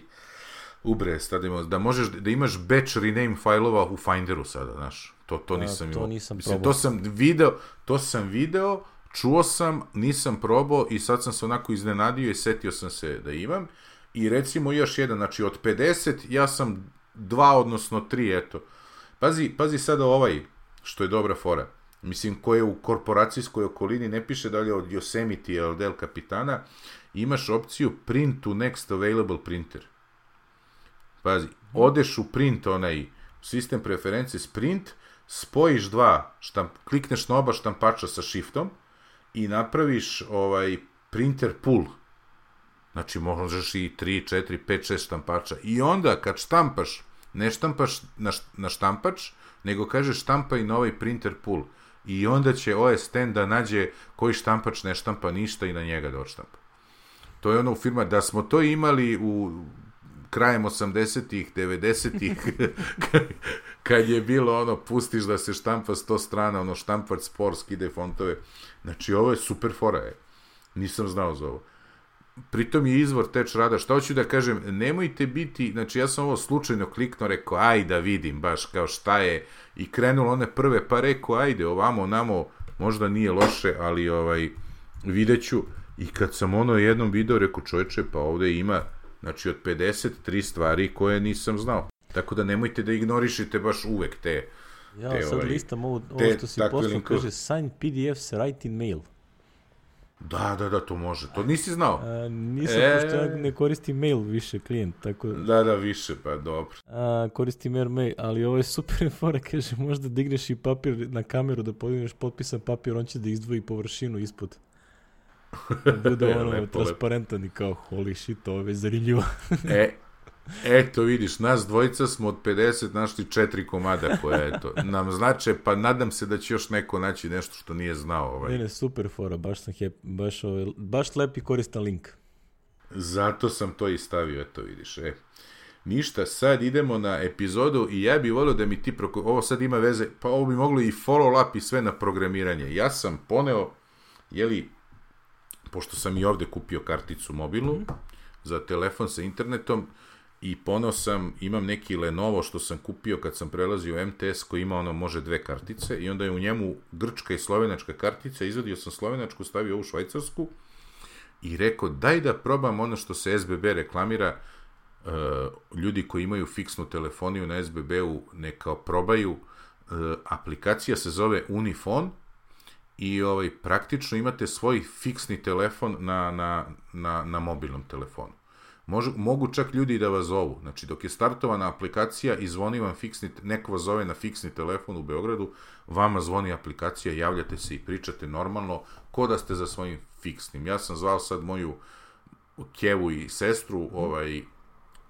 ubre, stavimo, da možeš, da imaš batch rename fajlova u Finderu sada, znaš, to, to nisam a, to imao. nisam Mislim, to sam video, to sam video, čuo sam, nisam probao i sad sam se onako iznenadio i setio sam se da imam. I recimo još jedan, znači od pedeset, ja sam dva, odnosno tri, eto. Pazi, pazi sada ovaj, što je dobra fora. Mislim, ko je u korporacijskoj okolini, ne piše da li je od Yosemite ili od El Capitana, imaš opciju print to next available printer. Pazi, odeš u print, onaj sistem preferences print, spojiš dva, štamp, klikneš na oba štampača sa shiftom i napraviš ovaj printer pool. Znači, možeš i tri, četiri, pet, šest štampača. I onda, kad štampaš, ne štampaš na, na štampač, nego kažeš štampaj na ovaj printer pool. I onda će O S X da nađe koji štampač ne štampa ništa i na njega da odštampa. To je ono u firma, da smo to imali u krajem osamdesetih, devedesetih, kad je bilo ono, pustiš da se štampa sto strana, ono, štampač spor, skide fontove. Znači, ovo je super fora, je. Nisam znao za ovo. Pritom je izvor teč rada. Šta hoću da kažem, nemojte biti, znači ja sam ovo slučajno kliknuo, rekao, aj da vidim baš kao šta je, i krenulo one prve, pa rekao, ajde, ovamo, namo, možda nije loše, ali ovaj, vidjet ću. I kad sam ono jednom video, rekao, čovječe, pa ovde ima, znači od pedeset tri stvari koje nisam znao. Tako da nemojte da ignorišite baš uvek te... Ja te, sad ovaj, listam ovo, ovo te, što si poslao, kaže sign P D Fs, write in mail. Da, da, da, to može. To nisi znao? A, nisam, e... pošto ja ne koristim mail više klijent, tako... Da, da, više, pa dobro. A, koristim AirMail, ali ovo je super fora, kaže, možda digneš i papir na kameru da podigneš potpisan papir, on će da izdvoji površinu ispod. Da bude ono lepo, transparentan i kao, holy shit, ovo je već zanimljivo. e, eto vidiš, nas dvojica smo od pedeset našli četiri komada koje, eto, nam znače, pa nadam se da će još neko naći nešto što nije znao. Ovaj. Ne, ne, super fora, baš sam happy, baš, ovaj, baš lep i koristan link. Zato sam to i stavio, eto vidiš, e. Ništa, sad idemo na epizodu i ja bih volio da mi ti, proko... ovo sad ima veze, pa ovo bi moglo i follow up i sve na programiranje. Ja sam poneo, jeli, pošto sam i ovde kupio karticu mobilnu, mm-hmm. za telefon sa internetom, i poneo sam, imam neki Lenovo što sam kupio kad sam prelazio u M T S koji ima ono, može dve kartice, i onda je u njemu grčka i slovenačka kartica, izvadio sam slovenačku, stavio ovu švajcarsku i rekao, daj da probam ono što se S B B reklamira, uh, ljudi koji imaju fiksnu telefoniju na S B B-u neka probaju, uh, aplikacija se zove Unifon, i ovaj, praktično imate svoj fiksni telefon na, na, na, na mobilnom telefonu. Može, mogu čak ljudi da vas zovu. Znači, dok je startovana aplikacija i zvoni vam fiksni, neko vas zove na fiksni telefon u Beogradu, vama zvoni aplikacija, javljate se i pričate normalno, ko da ste za svojim fiksnim. Ja sam zvao sad moju kevu i sestru ovaj,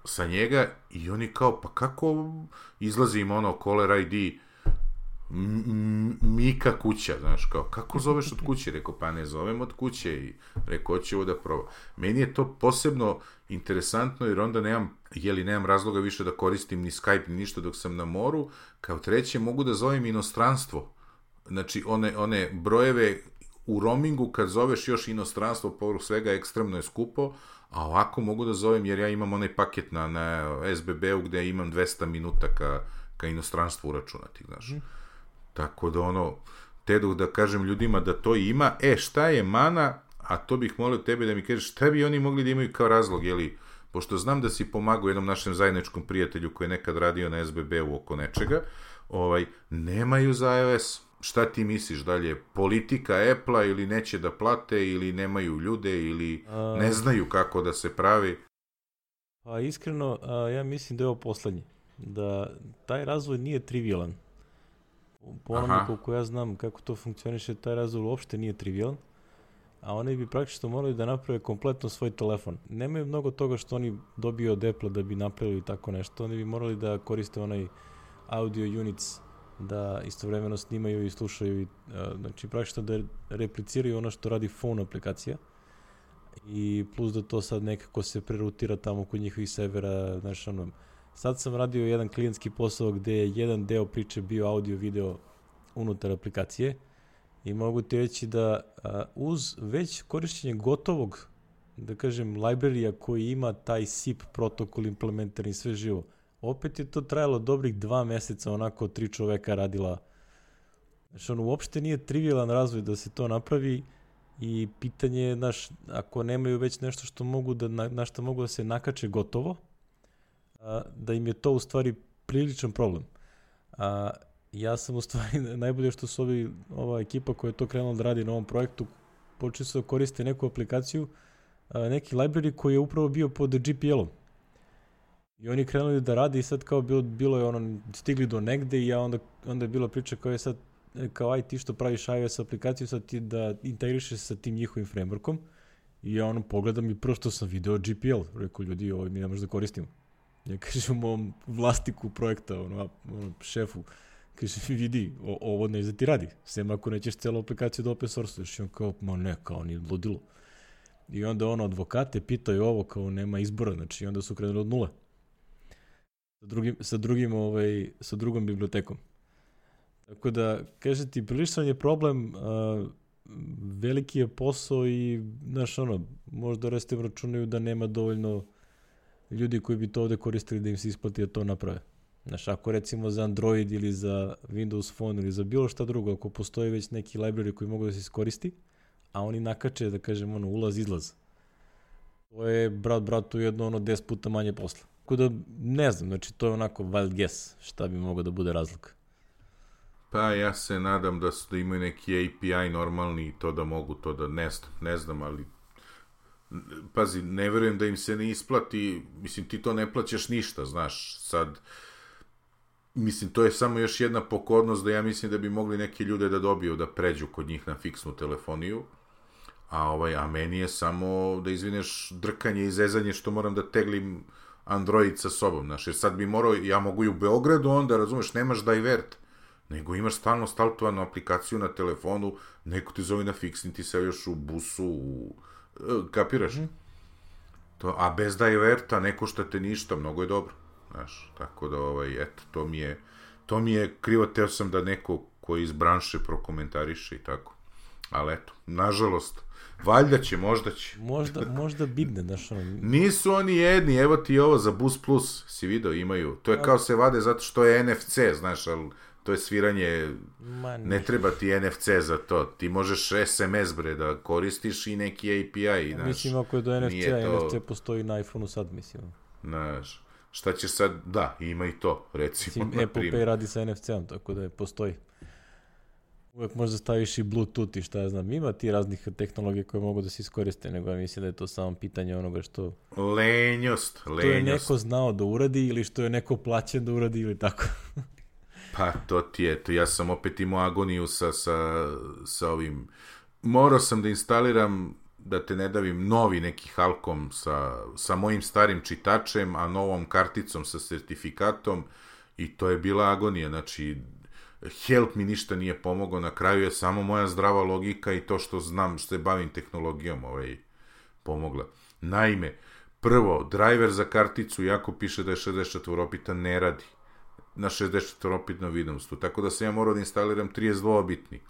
sa njega i oni kao, pa kako izlazi im ono caller I D Mika kuća, znaš, kao, kako zoveš od kuće? Rekao, pa ne zovem od kuće, i rekao, hoće ovo da proba. Meni je to posebno interesantno, jer onda nemam, jeli, nemam razloga više da koristim ni Skype, ni ništa dok sam na moru. Kao treće, mogu da zovem inostranstvo. Znači, one, one brojeve u roamingu, kad zoveš još inostranstvo, povrh svega, ekstremno je skupo, a ovako mogu da zovem, jer ja imam onaj paket na, na S B B-u gde imam dvesta minuta ka, ka inostranstvu uračunati, znaš. Mm. Tako da ono, te da kažem ljudima da to ima, e, šta je mana, a to bih molio tebe da mi kažeš, šta bi oni mogli da imaju kao razlog, jeli, pošto znam da si pomagao jednom našem zajedničkom prijatelju koji je nekad radio na S B B-u oko nečega, ovaj, nemaju za iOS. Šta ti misliš dalje? Politika Apple-a ili neće da plate, ili nemaju ljude, ili a... ne znaju kako da se pravi? Pa iskreno, a, ja mislim da je ovo poslednje. Da taj razvoj nije trivialan. Po onome koliko ja znam kako to funkcioniše, taj razvoj uopšte nije trivialan, a oni bi praktično morali da naprave kompletno svoj telefon. Nemaju mnogo toga što oni dobiju od Apple da bi napravili tako nešto. Oni bi morali da koriste onaj audio units, da istovremeno snimaju i slušaju, i, a, znači praktično da repliciraju ono što radi phone aplikacija, i plus da to sad nekako se prerutira tamo kod njihovih servera, znači ono. Sad sam radio jedan klijentski posao gde je jedan deo priče bio audio video unutar aplikacije, i mogu ti reći da a, uz već korišćenje gotovog, da kažem, librarija koji ima taj S I P protokol implementiran i sve živo, opet je to trajalo dobrih dva meseca, onako tri čoveka radila. Znači ono, uopšte nije trivialan razvoj da se to napravi, i pitanje je, znaš, ako nemaju već nešto što mogu da, na, na što mogu da se nakače gotovo, da im je to u stvari priličan problem. A, ja sam u stvari, najbolje što su ovi, ova ekipa koja je to krenula da radi na ovom projektu, počeli su da koriste neku aplikaciju, a, neki library koji je upravo bio pod G P L-om. I oni krenuli da radi, i sad kao bilo, bilo je ono, stigli do negde, i ja onda, onda je bila priča kao je sad, kao aj ti što praviš iOS aplikaciju, sad ti da integrišeš sa tim njihovim frameworkom, I ja ono pogledam i prvo što sam video G P L. Rekao, ljudi, ovo mi ne može da koristimo. Ja kažem mom vlastiku projekta, ono, ono šefu, kažem, vidi, o, ovo ne da ti radi. Sem ako nećeš celu aplikaciju da open source-uješ. I on kao, ma ne, kao ni ludilo. I onda ono, advokate pitaju ovo, kao nema izbora, znači onda su krenuli od nule. Sa drugim, sa drugim, ovaj, sa drugom bibliotekom. Tako da, kaže ti, priličan je problem, uh, veliki je posao i, znaš, ono, možda restem računaju da nema dovoljno ljudi koji bi to ovde koristili da im se isplati da to naprave. Znaš, ako recimo za Android ili za Windows Phone ili za bilo šta drugo, ako postoji već neki library koji mogu da se iskoristi, a oni nakače, da kažem, ono, ulaz, izlaz. To je, brat, bratu, jedno, ono, deset puta manje posla. Tako da, ne znam, znači, to je onako wild guess šta bi mogao da bude razlika. Pa ja se nadam da, su, da imaju neki A P I normalni i to da mogu to da, ne znam, ne znam, ali pazi, ne verujem da im se ne isplati, mislim, ti to ne plaćaš ništa, znaš, sad, mislim, to je samo još jedna pokornost da ja mislim da bi mogli neki ljude da dobiju da pređu kod njih na fiksnu telefoniju, a, ovaj, a meni je samo, da izvineš, drkanje i zezanje što moram da teglim Android sa sobom, znaš, jer sad bi morao, ja mogu i u Beogradu onda, razumeš, nemaš divert, nego imaš stalno startovanu aplikaciju na telefonu, neko ti zove na fiksni, ti se još u busu, u, kapiraš? Mm. To, a bez diverta ne košta te ništa, mnogo je dobro, znaš, tako da, ovaj, eto, to mi je, to mi je krivo, teo sam da neko koji iz branše prokomentariše i tako, ali eto, nažalost, valjda će, možda će. Možda, možda bibne, znaš, ono. Nisu oni jedni, evo ti ovo za Bus Plus, si video, imaju, to je kao se vade zato što je N F C, znaš, ali to je sviranje, ne treba ti N F C za to, ti možeš S M S bre da koristiš i neki A P I, znaš. Mislim, ako je do N F C-a, to... N F C postoji na iPhone-u sad, mislim. Znaš, šta ćeš sad, da, ima i to, recimo. Mislim, Apple Pay radi sa N F C-om, tako da je, postoji. Uvijek možda staviš i Bluetooth i šta ja znam, ima ti raznih tehnologija koje mogu da se iskoriste, nego ja mislim da je to samo pitanje onoga što... Lenjost, lenjost. To je neko znao da uradi ili što je neko plaćen da uradi ili tako. Pa, to ti je, to ja sam opet imao agoniju sa, sa, sa ovim, morao sam da instaliram, da te ne davim, novi neki Halcom sa, sa mojim starim čitačem, a novom karticom sa sertifikatom i to je bila agonija, znači, help mi ništa nije pomogao, na kraju je samo moja zdrava logika i to što znam, što se bavim tehnologijom, ovaj, pomogla. Naime, prvo, driver za karticu, jako piše da je šezdeset četvorobitna, ne radi na šezdeset četvorobitnom Windowsu, tako da sam ja morao da instaliram trideset dvobitni.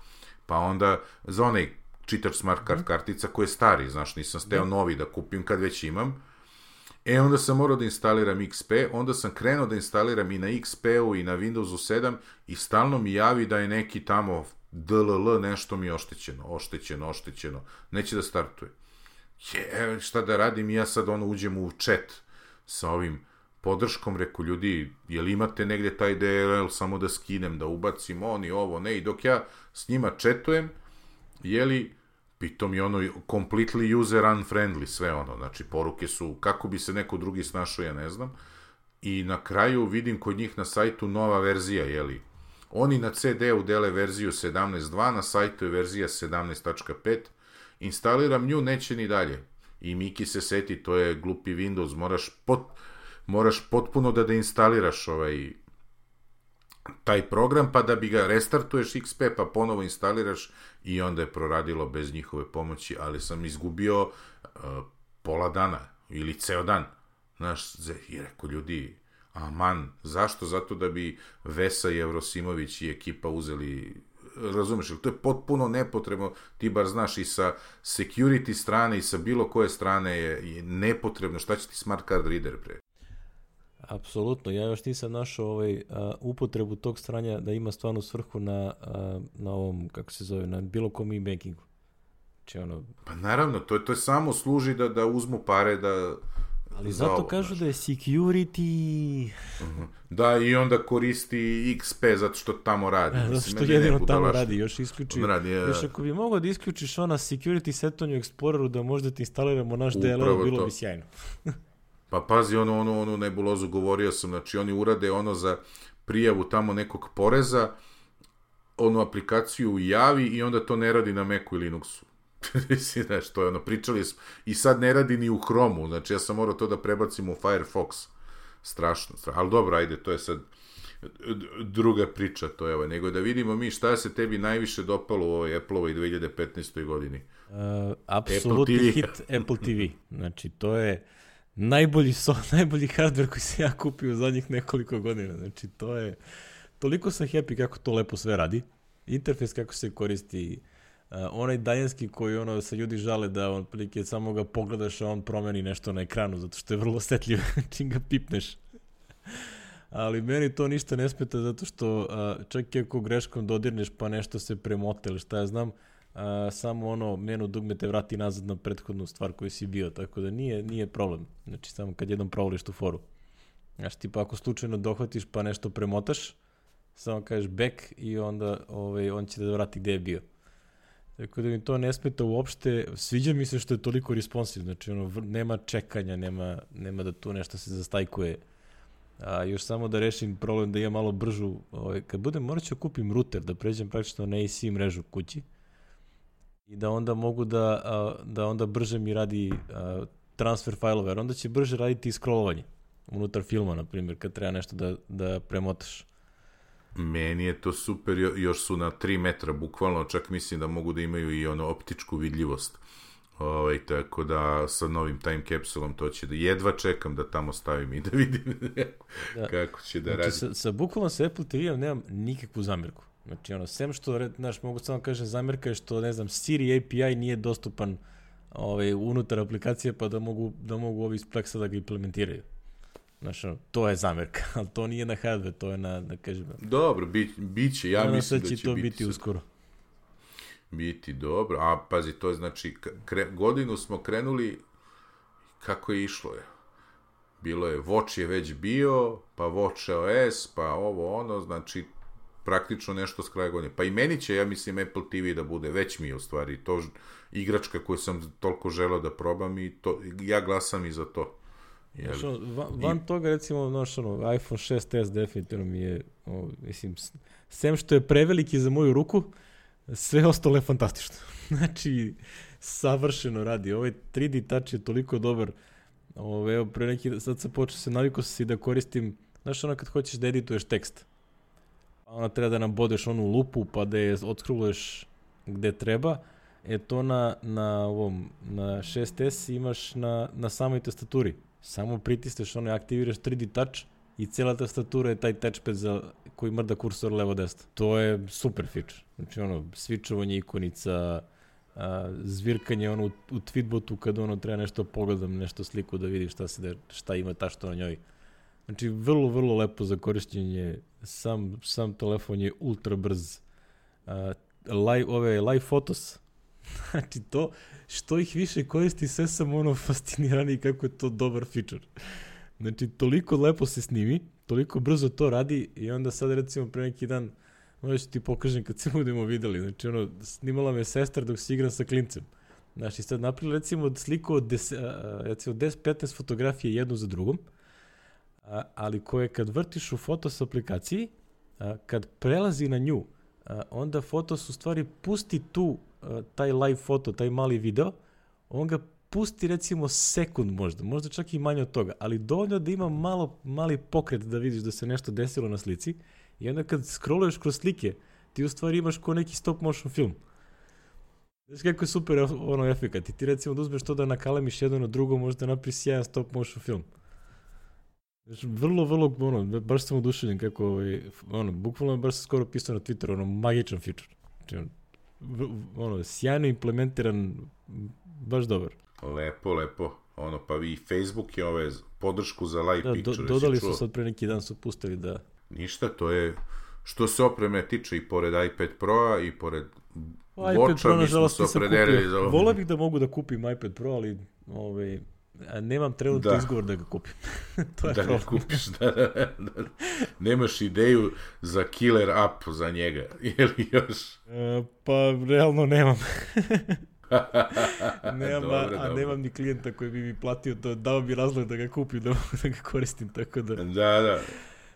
Pa onda za onaj čitač smart card kartica koji je stari, znaš, nisam steo novi da kupim kad već imam. E, onda sam morao da instaliram X P, onda sam krenuo da instaliram i na X P-u i na Windowsu sedam i stalno mi javi da je neki tamo D L L nešto mi je oštećeno, oštećeno, oštećeno, neće da startuje. Je, šta da radim, ja sad ono uđem u chat sa ovim podrškom, reku, ljudi, jel imate negdje taj D L L samo da skinem, da ubacim oni, ovo, ne, i dok ja s njima chatujem, jeli, pitom je ono completely user unfriendly, sve ono, znači poruke su, kako bi se neko drugi snašao, ja ne znam, i na kraju vidim kod njih na sajtu nova verzija, jeli, oni na C D-u dele verziju sedamnaest dva, na sajtu je verzija sedamnaest tačka pet, instaliram nju, neće ni dalje, i Miki se seti, to je glupi Windows, moraš pot... moraš potpuno da deinstaliraš ovaj taj program, pa da bi ga restartuješ X P, pa ponovo instaliraš i onda je proradilo bez njihove pomoći, ali sam izgubio uh, pola dana ili ceo dan. Znaš, i rekao, ljudi, aman, zašto? Zato da bi Vesa i Evrosimović i ekipa uzeli, razumeš, to je potpuno nepotrebno, ti bar znaš i sa security strane i sa bilo koje strane je, je nepotrebno, šta će ti smart card reader pre? Apsolutno, ja još nisam našao ovaj, uh, upotrebu tog stranja da ima stvarno svrhu na, uh, na ovom, kako se zove, na bilo kom e-bankingu. Či ono... Pa naravno, to je, to je samo služi da, da uzmu pare, da... Ali zato ovo, kažu znaš. Da je security... Uh-huh. Da, i onda koristi X P zato što tamo radi. Zato što Mislim, jedino tamo lašni. Radi, još isključi. Radi, ja. Još ako bi mogao da isključiš ona security setanju Exploreru da možda ti instaliramo naš D L L, bilo to. Bi sjajno. Pa pazi, ono, ono, ono nebulozu govorio sam, znači oni urade ono za prijavu tamo nekog poreza, onu aplikaciju javi i onda to ne radi na Macu i Linuxu. Mislim, znaš, to je ono, pričali smo, i sad ne radi ni u Chromu, znači ja sam morao to da prebacim u Firefox, strašno, strašno, ali dobro, ajde, to je sad druga priča, to je ovo, nego da vidimo mi šta se tebi najviše dopalo u ovoj Apple-ovoj dve hiljade petnaestoj godini. Uh, apsolutni hit Apple T V, znači to je najbolji, so, najbolji hardware koji sam ja kupio u zadnjih nekoliko godina, znači to je, toliko sam happy kako to lepo sve radi, interfejs kako se koristi, uh, onaj daljinski koji ono se ljudi žale da on prilike samo ga pogledaš a on promeni nešto na ekranu zato što je vrlo osjetljiv čim ga pipneš. Ali meni to ništa ne smeta zato što uh, čak i ako greškom dodirneš pa nešto se premota ili šta ja znam, uh, samo ono menu dugme te vrati nazad na prethodnu stvar koju si bio, tako da nije, nije problem. Znači samo kad jednom provališ tu foru. Znači tipa ako slučajno dohvatiš pa nešto premotaš, samo kažeš back i onda ovaj, on će da vrati gde je bio. Tako da mi to ne smeta uopšte, sviđa mi se što je toliko responsive, znači ono, nema čekanja, nema, nema da tu nešto se zastajkuje. A još samo da rešim problem da imam malo bržu, ovaj, kad budem morat ću kupim router, da pređem praktično na A C mrežu kući i da onda mogu da, a, da onda brže mi radi a, transfer fajlova, jer onda će brže raditi i scrollovanje unutar filma, na primjer, kad treba nešto da, da premotaš. Meni je to super, još su na tri metra, bukvalno, čak mislim da mogu da imaju i ono optičku vidljivost. Ovaj, tako da sa novim time capsulom to će da jedva čekam da tamo stavim i da vidim da. Kako će da znači, radi. Sa, sa bukvalno sa Apple T V-om nemam nikakvu zamjerku. Znači ono, sem što, znaš, mogu samo kažem zamjerka je što, ne znam, Siri A P I nije dostupan ovaj, unutar aplikacije pa da mogu, da mogu ovi iz Plexa da ga implementiraju. Znači ono, to je zamjerka, ali to nije na hardware, to je na, da kažem... Dobro, bi, bit će, ja ono mislim da će, će to biti, biti uskoro. Biti dobro, a pazi, to je znači, kre, godinu smo krenuli, kako je išlo je? Bilo je, Watch je već bio, pa Watch O S, pa ovo ono, znači, praktično nešto s kraja godine. Pa i meni će, ja mislim, Apple T V da bude, već mi je u stvari, to igračka koju sam toliko želeo da probam i to, ja glasam i za to. Znaš, ono, van, van I... toga, recimo, znaš, ono, iPhone šest S definitivno mi je, o, mislim, sem što je preveliki za moju ruku, sve ostalo je fantastično. Znači, savršeno radi. Ovaj tri D touch je toliko dobar. Ovo, evo, pre neki, sad sam počeo se, navikao se da koristim, znaš ono kad hoćeš da edituješ tekst. Ona treba da nabodeš onu lupu pa da je odskroluješ gde treba. E to na, na ovom, na šest S imaš na, na samoj tastaturi. Samo pritisneš ono i aktiviraš tri D touch i cijela tastatura je taj touchpad za, koji mrda kursor levo-desno. To je super feature. Znači ono, switchovanje ikonica, a, zvirkanje ono u, u tweetbotu kad ono treba nešto pogledam, nešto sliku da vidi šta se da, šta ima tašto na njoj. Znači vrlo, vrlo lepo za korišćenje. Sam, sam telefon je ultra brz. A, live, ove, live photos. Znači to, što ih više koristi, sve sam ono fascinirani kako je to dobar feature. Znači, toliko lepo se snimi, toliko brzo to radi i onda sad recimo pre neki dan, možda ću ti pokažem kad se budemo videli, znači ono, snimala me sestra dok se igram sa klincem. Znači, sad napravili recimo sliku od deset petnaest fotografije jednu za drugom, a, ali koje kad vrtiš u Fotos aplikaciji, a, kad prelazi na nju, a, onda Fotos u stvari pusti tu a, taj live foto, taj mali video, on ga pusti recimo sekund možda, možda čak i manje od toga, ali dovoljno da ima malo, mali pokret da vidiš da se nešto desilo na slici i onda kad scrolluješ kroz slike, ti u stvari imaš ko neki stop motion film. Znaš kako je super ono efekat i ti recimo da uzmeš to da nakalemiš jedno na drugo, možda napraviš sjajan stop motion film. Znači, vrlo, vrlo, ono, baš sam oduševljen kako, ovaj, ono, bukvalno je baš skoro pisao na Twitteru, ono, magičan feature. Znači, ono, sjajno implementiran, baš dobar. Lepo, lepo. Ono, pa i Facebook je ove podršku za live da, picture. Do, dodali su sad pre neki dan, su pustili da... Ništa, to je, što se opreme tiče i pored iPad Pro-a i pored Watcha, mi smo se opredelili za ovo. Volao bih da mogu da kupim iPad Pro, ali ovaj, nemam trenutno izgovor da ga kupim. To je da ga kupiš, da, da, da. Nemaš ideju za killer app za njega, ili još? E, pa, realno nemam. nemam, dobre, a, a dobre. nemam ni klijenta koji bi mi platio to, dao mi razlog da ga kupim, da, da ga koristim, tako da... Da, da.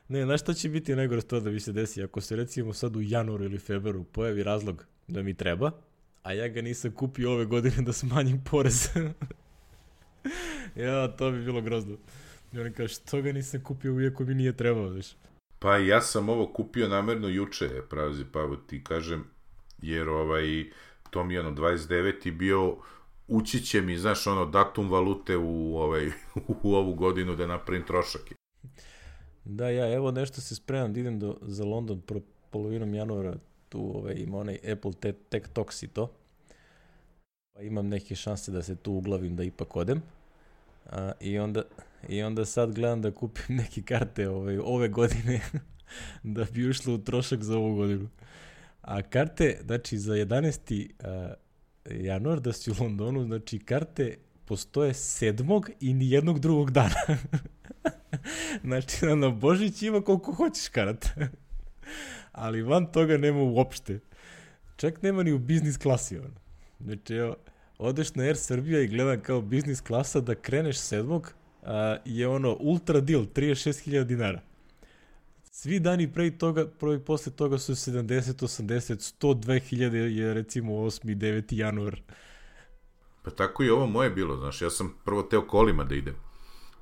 Ne, znaš šta će biti najgore to da mi se desi? Ako se recimo sad u januaru ili februaru pojavi razlog da mi treba, a ja ga nisam kupio ove godine da smanjim porez. Ja, to bi bilo grozno. I oni kaže, što ga nisam kupio iako mi nije trebao, znaš. Pa ja sam ovo kupio namerno juče, pravi Pavo, ti kažem, jer ovaj, to mi je ono dvadeset deveti bio, ući će mi, znaš, ono, datum valute u, ovaj, u ovu godinu da napravim trošak. Da, ja, evo nešto se spremam da idem do, za London pro, polovinom januara, tu ovaj, ima onaj Apple te, Tech Talks i to. Pa imam neke šanse da se tu uglavim da ipak odem. A, i, onda, I onda sad gledam da kupim neke karte ovaj, ove godine da bi ušlo u trošak za ovu godinu. A karte, znači za jedanaesti januar da si u Londonu, znači karte postoje sedmog i nijednog drugog dana. Znači na Božić ima koliko hoćeš karata. Ali van toga nema uopšte. Čak nema ni u biznis klasi. Ono. Znači evo, odeš na Air Srbija i gledam kao biznis klasa da kreneš sedmog a, je ono ultra deal, trideset šest hiljada dinara. Svi dani pre toga, prvi posle toga su sedamdeset, osamdeset, sto dve hiljade je recimo osmi, deveti januar. Pa tako i ovo moje bilo, znaš, ja sam prvo teo kolima da idem.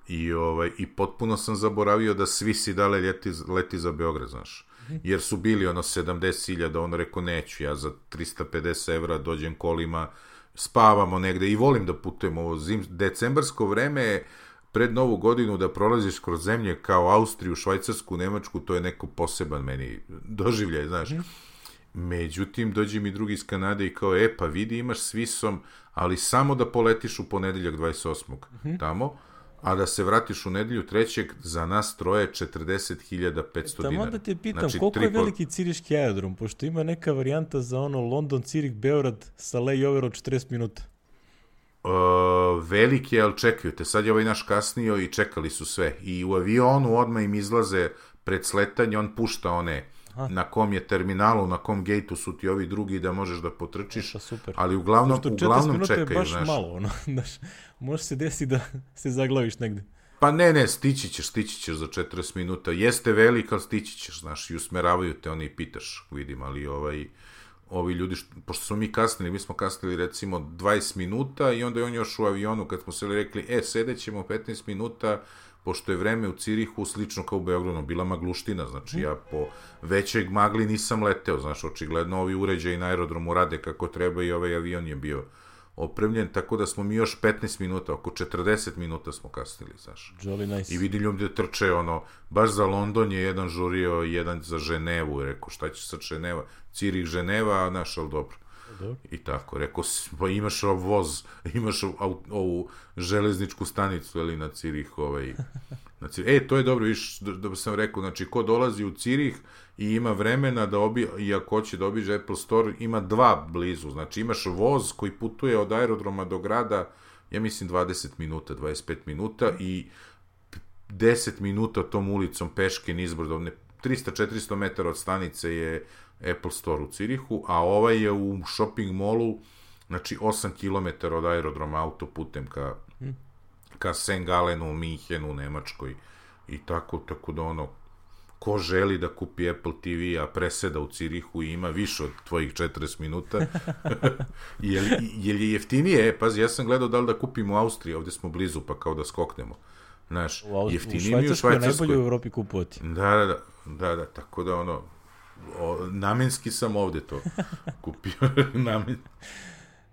I, ovaj, i potpuno sam zaboravio da svi si dale leti, leti za Beograd, znaš. Jer su bili ono sedamdeset hiljada, ono rekao neću, ja za trista pedeset evra dođem kolima, spavamo negde i volim da putujem ovo zim, decembarsko vreme je pred novu godinu da prolaziš kroz zemlje kao Austriju, Švajcarsku, Nemačku, to je neko poseban meni doživljaj, znaš. Mm. Međutim, dođe mi drugi iz Kanade i kao, e, pa vidi, imaš s visom, ali samo da poletiš u ponedeljak dvadeset osmog Mm-hmm. tamo, a da se vratiš u nedelju trećeg, za nas troje četrdeset hiljada petsto dinara. Tamo da te pitam, znači, koliko triple... je veliki ciriški aerodrom, pošto ima neka varijanta za ono London, Cirih, Beograd sa layover od četrdeset minuta. Uh, veliki je, ali čekaju te. Sad je ovaj naš kasnio i čekali su sve. I u avionu odmah im izlaze pred sletanje, on pušta one Aha. na kom je terminalu, na kom gejtu su ti ovi drugi da možeš da potrčiš. Eša, super. Ali uglavnom, uglavnom čekaju. Je baš znaš. malo, ono, znaš, može se desiti da se zaglaviš negde. Pa ne, ne, stići ćeš, stići ćeš za četrdeset minuta. Jeste velik, ali stići ćeš, znaš, i usmeravaju te, oni i pitaš, vidim, ali ovaj... ovi ljudi, što, pošto smo mi kasnili, mi smo kasnili recimo dvadeset minuta i onda je on još u avionu kad smo se rekli, e, sedećemo petnaest minuta, pošto je vreme u Cirihu slično kao u Beogradu, bila magluština, znači ja po većeg magli nisam leteo, znaš, očigledno ovi uređaji na aerodromu rade kako treba i ovaj avion je bio opremljen, tako da smo mi još petnaest minuta, oko četrdeset minuta smo kasnili, znaš. Jolly nice. I vidim ljudi da trče, ono, baš za London je jedan žurio, jedan za Ženevu, rekao, šta će sad Ženeva? Cirih, Ženeva, a naš, ali dobro. dobro. I tako, rekao, pa imaš voz, imaš ovu, ovu železničku stanicu, ali na Cirih, ovaj, na Cirih. E, to je dobro, viš, da, da sam rekao, znači, ko dolazi u Cirih i ima vremena da obi, i ako hoće da obiđe Apple Store, ima dva blizu, znači imaš voz koji putuje od aerodroma do grada, ja mislim dvadeset minuta, dvadeset pet minuta i deset minuta tom ulicom peške nizbrdo, trista do četiristo metara od stanice je Apple Store u Cirihu, a ovaj je u shopping mallu, znači osam kilometara od aerodroma autoputem ka, hmm. ka Saint Gallenu, Minhenu, Nemačkoj i tako, tako da ono, ko želi da kupi Apple T V, a preseda u Cirihu i ima više od tvojih četrdeset minuta, je, li, je li jeftinije? E, pazi, ja sam gledao da li da kupim u Austriji, ovdje smo blizu, pa kao da skoknemo. Znaš, u jeftinije mi u Švajcarskoj. Najbolje u Evropi kupovati. Da, da, da, da, da, tako da ono, o, namenski sam ovdje to kupio. Namen...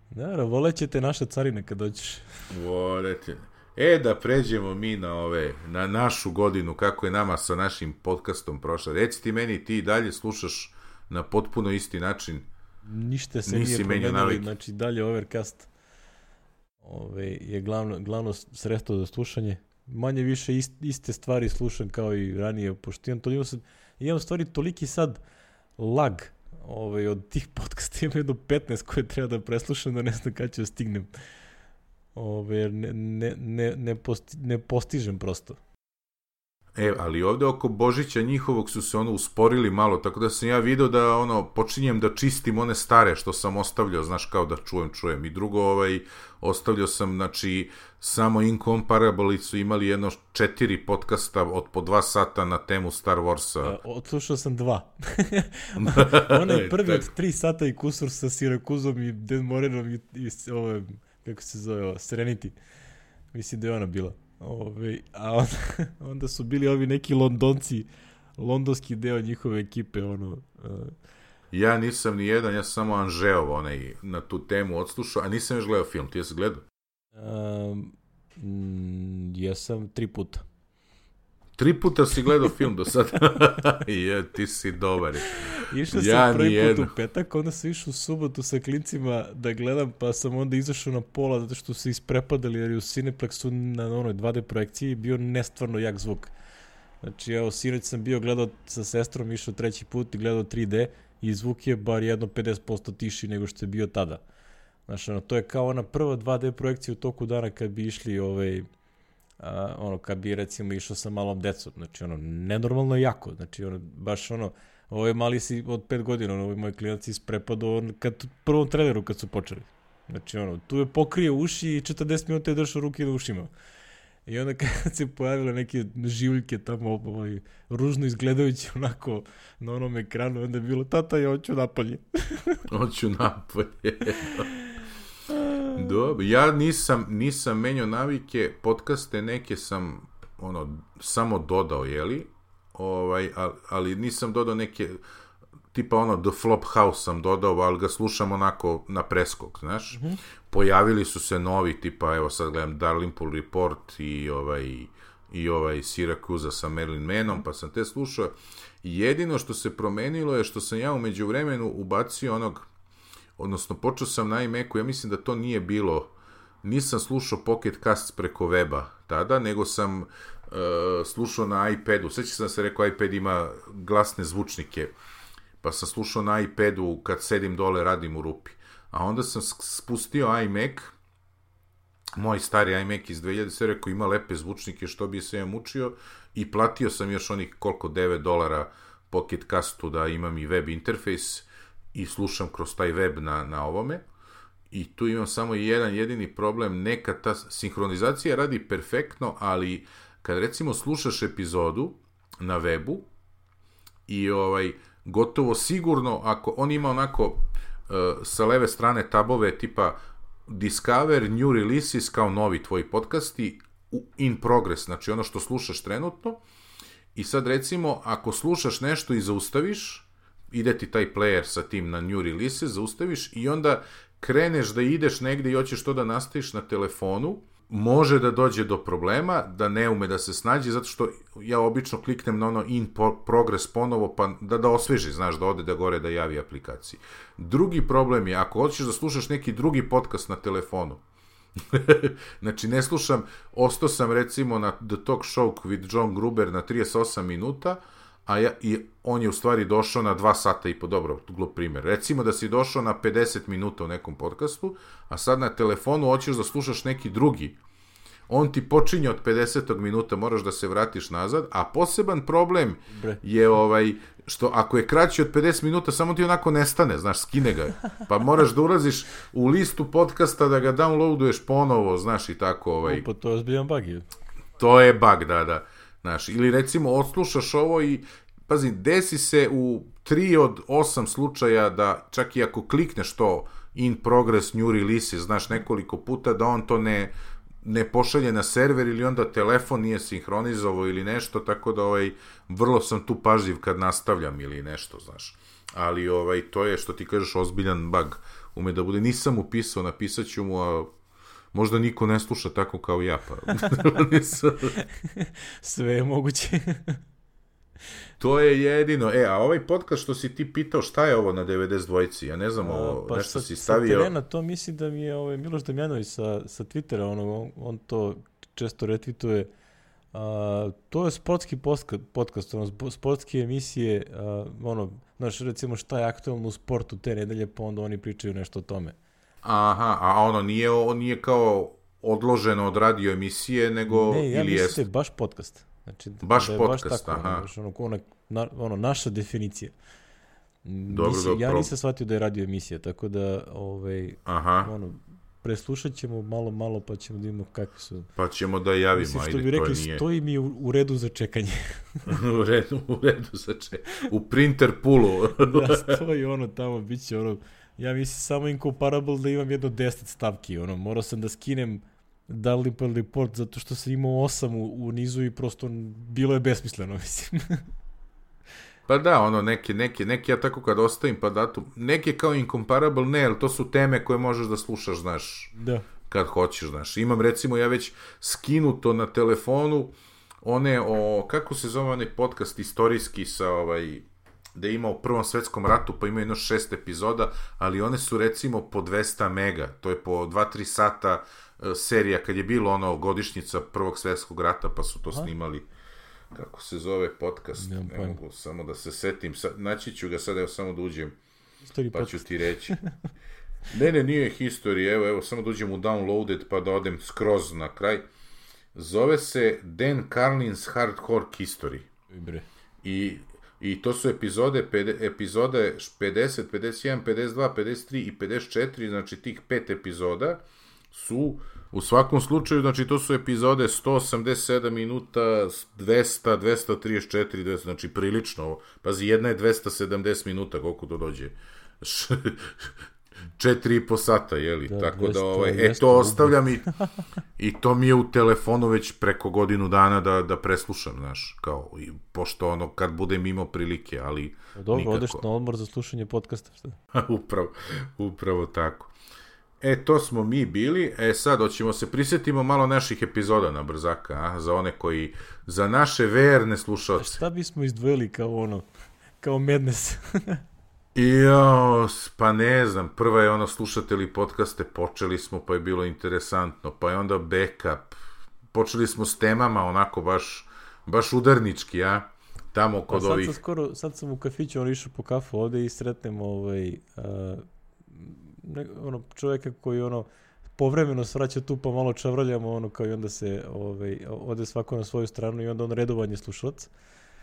Da, volećete naša carina kad dođeš. Volete. E, da pređemo mi na ove, na našu godinu, kako je nama sa našim podcastom prošla. Reci ti meni, ti dalje slušaš na potpuno isti način. Ništa se nije promenilo, znači dalje Overcast ove, je glavno, glavno sredstvo za slušanje. Manje više ist, iste stvari slušam kao i ranije, pošto imam, toliko sad, imam stvari toliki sad lag ove, od tih podcasta, imam jedno petnaest koje treba da preslušam, da ne znam kada ću da stignem. Ove, ne, ne, ne, ne, posti, ne postižem prosto. E, ali ovde oko Božića njihovog su se ono usporili malo, tako da sam ja video da ono, počinjem da čistim one stare što sam ostavljao, znaš, kao da čujem, čujem. I drugo, ovaj, ostavljao sam, znači, samo Incomparable su imali jedno četiri podcasta od po dva sata na temu Star Warsa. Uh, odslušao sam dva. Onaj prvi od tri sata i kusur sa Sirakuzom i Dan Morenom i, i ove, kako se zove, ovo, Serenity. Mislim da je ona bila. Ove, a onda, onda su bili ovi neki Londonci, londonski deo njihove ekipe, ono... Uh... Ja nisam ni jedan, ja sam samo Anžeov onaj na tu temu odslušao, a nisam još gledao film, ti jesi gledao? Um, mm, jesam tri puta. Tri puta si gledao film do sada? Je, ti si dobar. Išao sam ja prvi put u petak, onda sam išao u subotu sa klincima da gledam, pa sam onda izašao na pola zato što su isprepadali, jer je u Cineplexu na onoj dva D projekciji bio nestvarno jak zvuk. Znači, evo, sinoć sam bio gledao sa sestrom, išao treći put i gledao tri D i zvuk je bar jedno pedeset posto tiši nego što je bio tada. Znači, ono, to je kao ona prva dva D projekcija u toku dana kad bi išli, ovaj, a, ono, kad bi recimo išao sa malom decom. Znači, ono, nenormalno jako. Znači, ono, baš ono, ovo je mali si od pet godina, ono, ovo je moj klinac isprepadao kad u prvom traileru kad su počeli. Znači, ono, tu je pokrio uši i četrdeset minuta je držao ruke na ušima. I onda kad se pojavile neke življke tamo, ovaj, ružno izgledajući onako na onom ekranu, onda je bilo, tata, ja hoću napolje. Hoću napolje. Dobro, ja nisam, nisam menjao navike, podcaste neke sam, ono, samo dodao, jeli? Ovaj, ali nisam dodao neke, tipa ono, The Flop House sam dodao, ali ga slušam onako na preskok, znaš? Mm-hmm. Pojavili su se novi, tipa, evo sad gledam Dalrymple Report i ovaj, i ovaj Siracusa sa Marilyn Manom, pa sam te slušao. Jedino što se promenilo je što sam ja u međuvremenu ubacio onog, odnosno počeo sam na iMacu, ja mislim da to nije bilo, nisam slušao Pocket Casts preko weba tada, nego sam uh, slušao na iPadu. Sveća sam se rekao, iPad ima glasne zvučnike, pa sam slušao na iPadu kad sedim dole, radim u rupi. A onda sam spustio iMac, moj stari iMac iz dve hiljade sedme, rekao ima lepe zvučnike, što bi se ja mučio, i platio sam još onih koliko, devet dolara Pocket Castu da imam i web interfejs i slušam kroz taj web na, na ovome. I tu imam samo jedan jedini problem, neka ta sinhronizacija radi perfektno, ali kad recimo slušaš epizodu na webu i ovaj, gotovo sigurno, ako on ima onako uh, sa leve strane tabove tipa Discover, New Releases kao novi tvoji podcasti, in progress, znači ono što slušaš trenutno, i sad recimo ako slušaš nešto i zaustaviš, ide ti taj player sa tim na New Releases, zaustaviš i onda kreneš da ideš negde i hoćeš to da nastaviš na telefonu, može da dođe do problema, da ne ume da se snađe, zato što ja obično kliknem na ono in progress ponovo, pa da, da osveži, znaš, da ode da gore da javi aplikaciji. Drugi problem je, ako hoćeš da slušaš neki drugi podcast na telefonu, znači ne slušam, ostao sam recimo na The Talk Show with John Gruber na trideset osam minuta, a ja, i on je u stvari došao na dva sata i po, dobro, glup primjer. Recimo da si došao na pedeset minuta u nekom podcastu, a sad na telefonu hoćeš da slušaš neki drugi. On ti počinje od pedesetog minuta, moraš da se vratiš nazad, a poseban problem je ovaj, što ako je kraći od pedeset minuta, samo ti onako nestane, znaš, skine ga. Pa moraš da ulaziš u listu podcasta, da ga downloaduješ ponovo, znaš, i tako. Ovaj. Upa, to je zbiljan bug. Je. To je bug, da, da. Znaš, ili recimo odslušaš ovo i, pazi, desi se u tri od osam slučaja da čak i ako klikneš to in progress new releases, znaš, nekoliko puta, da on to ne, ne pošalje na server ili onda telefon nije sinhronizovao ili nešto, tako da ovaj, vrlo sam tu pažljiv kad nastavljam ili nešto, znaš. Ali ovaj, to je, što ti kažeš, ozbiljan bug. Ume da bude, nisam upisao, napisat ću mu, a možda niko ne sluša tako kao ja, pa sve je moguće. To je jedino. E, a ovaj podcast što si ti pitao, šta je ovo na devedeset dvojici? Ja ne znam, ovo, pa nešto sa, si stavio. Sa terena, to mislim da mi je ovaj, Miloš Damjanović sa, sa Twittera, ono, on, on to često retvituje. A, to je sportski podcast, ono, sportske emisije, a, ono, znaš, recimo šta je aktualno u sportu te nedelje, pa onda oni pričaju nešto o tome. Aha, a ono nije, on nije kao odloženo od radio emisije, nego... Ne, ja ili mislim jest... da je baš podcast. Znači, baš da je podcast, baš tako, aha. Ono, ono, na, ono, naša definicija. Dobro, Nisi, dobro. Ja nisam shvatio da je radio emisija, tako da ovaj, Aha. ono, preslušat ćemo malo, malo, pa ćemo da imamo kakve su... Pa ćemo da javimo, Mislim, što ajde, bi rekli, to nije... stoji mi u, u redu za čekanje. u redu, u redu za čekanje. U printer poolu. Da, stoji ono tamo, bit će ono... Ja mislim samo incomparable da imam jedno deset stavki, ono, morao sam da skinem Dalrymple Report zato što sam imao osam u, u nizu i prosto bilo je besmisleno, mislim. Pa da, ono, neke, neke, neke ja tako kad ostavim pa datum, neke kao incomparable, ne, ali to su teme koje možeš da slušaš, znaš, Da. kad hoćeš, znaš. Imam, recimo, ja već skinuto na telefonu one o, kako se zove onaj podcast istorijski sa, ovaj, da ima u Prvom svetskom ratu, pa ima jedno šest epizoda, ali one su, recimo, po dvesta mega, to je po dva tri sata uh, serija, kad je bilo ono godišnjica Prvog svetskog rata, pa su to Aha. snimali. Kako se zove podcast? Nemam ne mogu samo da se setim. Sa, naći ću ga sad, evo samo da uđem. History pa podcast. ću ti reći. Ne, ne, nije history. Evo, evo, samo da uđem u downloaded pa da odem skroz na kraj. Zove se Dan Carlin's Hardcore History. Bre. I, i to su epizode, pede, epizode pedeset, pedeset jedan, pedeset dva, pedeset tri i pedeset četiri, znači tih pet epizoda su u svakom slučaju, znači to su epizode sto osamdeset sedam minuta, dvesta, dvesta trideset četiri, dvesta, znači prilično. Pazi, jedna je dvesta sedamdeset minuta, koliko to dođe. Četiri i po sata, jeli? Da, tako dvesta, da, ovaj, e, to ostavljam i, i to mi je u telefonu već preko godinu dana da, da preslušam, znaš, kao, i, pošto ono, kad budem imao prilike, ali dobro, nikako. Odeš na odmor za slušanje podcasta, šta? upravo, upravo tako. E, to smo mi bili, e sad, hoćemo se prisjetimo malo naših epizoda na brzaka, a? Za one koji, za naše verne slušalce. Šta bismo izdvojili kao ono, kao Madness? Jo, pa ne znam, prva je ono slušatelji podcaste, počeli smo pa je bilo interesantno, pa je onda backup, počeli smo s temama onako baš, baš udarnički, a? Tamo kod sad ovih... Sam skoro, sad sam u kafiću, on išao po kafu ovde i sretnem ovaj... Uh, Ne, ono, čovjeka koji ono povremeno svraća tu pa malo čavraljamo ono kao i onda se ovaj, ode svako na svoju stranu i onda on redovanje slušalac.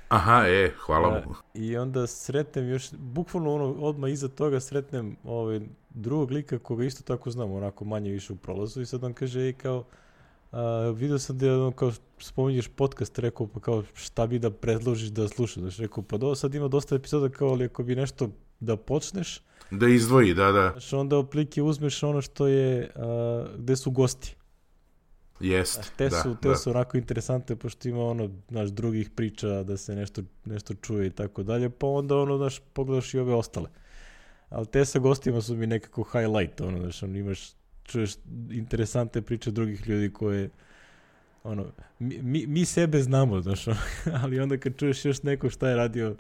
Aha, e, hvala mu. I onda sretnem još, bukvalno ono odmah iza toga sretnem ovaj, drugog lika koga isto tako znam, onako manje više u prolazu i sad on kaže, ej kao, a, vidio sam da ono, kao spominješ podcast, rekao pa kao šta bi da predložiš da slušaš, znači rekao pa do, sad ima dosta epizoda kao ali ako bi nešto da počneš, da izdvoji, da, da. Znači onda oplike uzmeš ono što je, a, gde su gosti. Jest, znači, te da, su, te da. su onako interesante, pošto ima ono, znaš, drugih priča, da se nešto, nešto čuje i tako dalje, pa onda ono, znaš, pogledaš i ove ostale. Ali te sa gostima su mi nekako highlight, ono, znaš, ono, imaš, čuješ interesante priče drugih ljudi koje, ono, mi, mi, mi sebe znamo, znaš, ono, ali onda kad čuješ još neko šta je radio,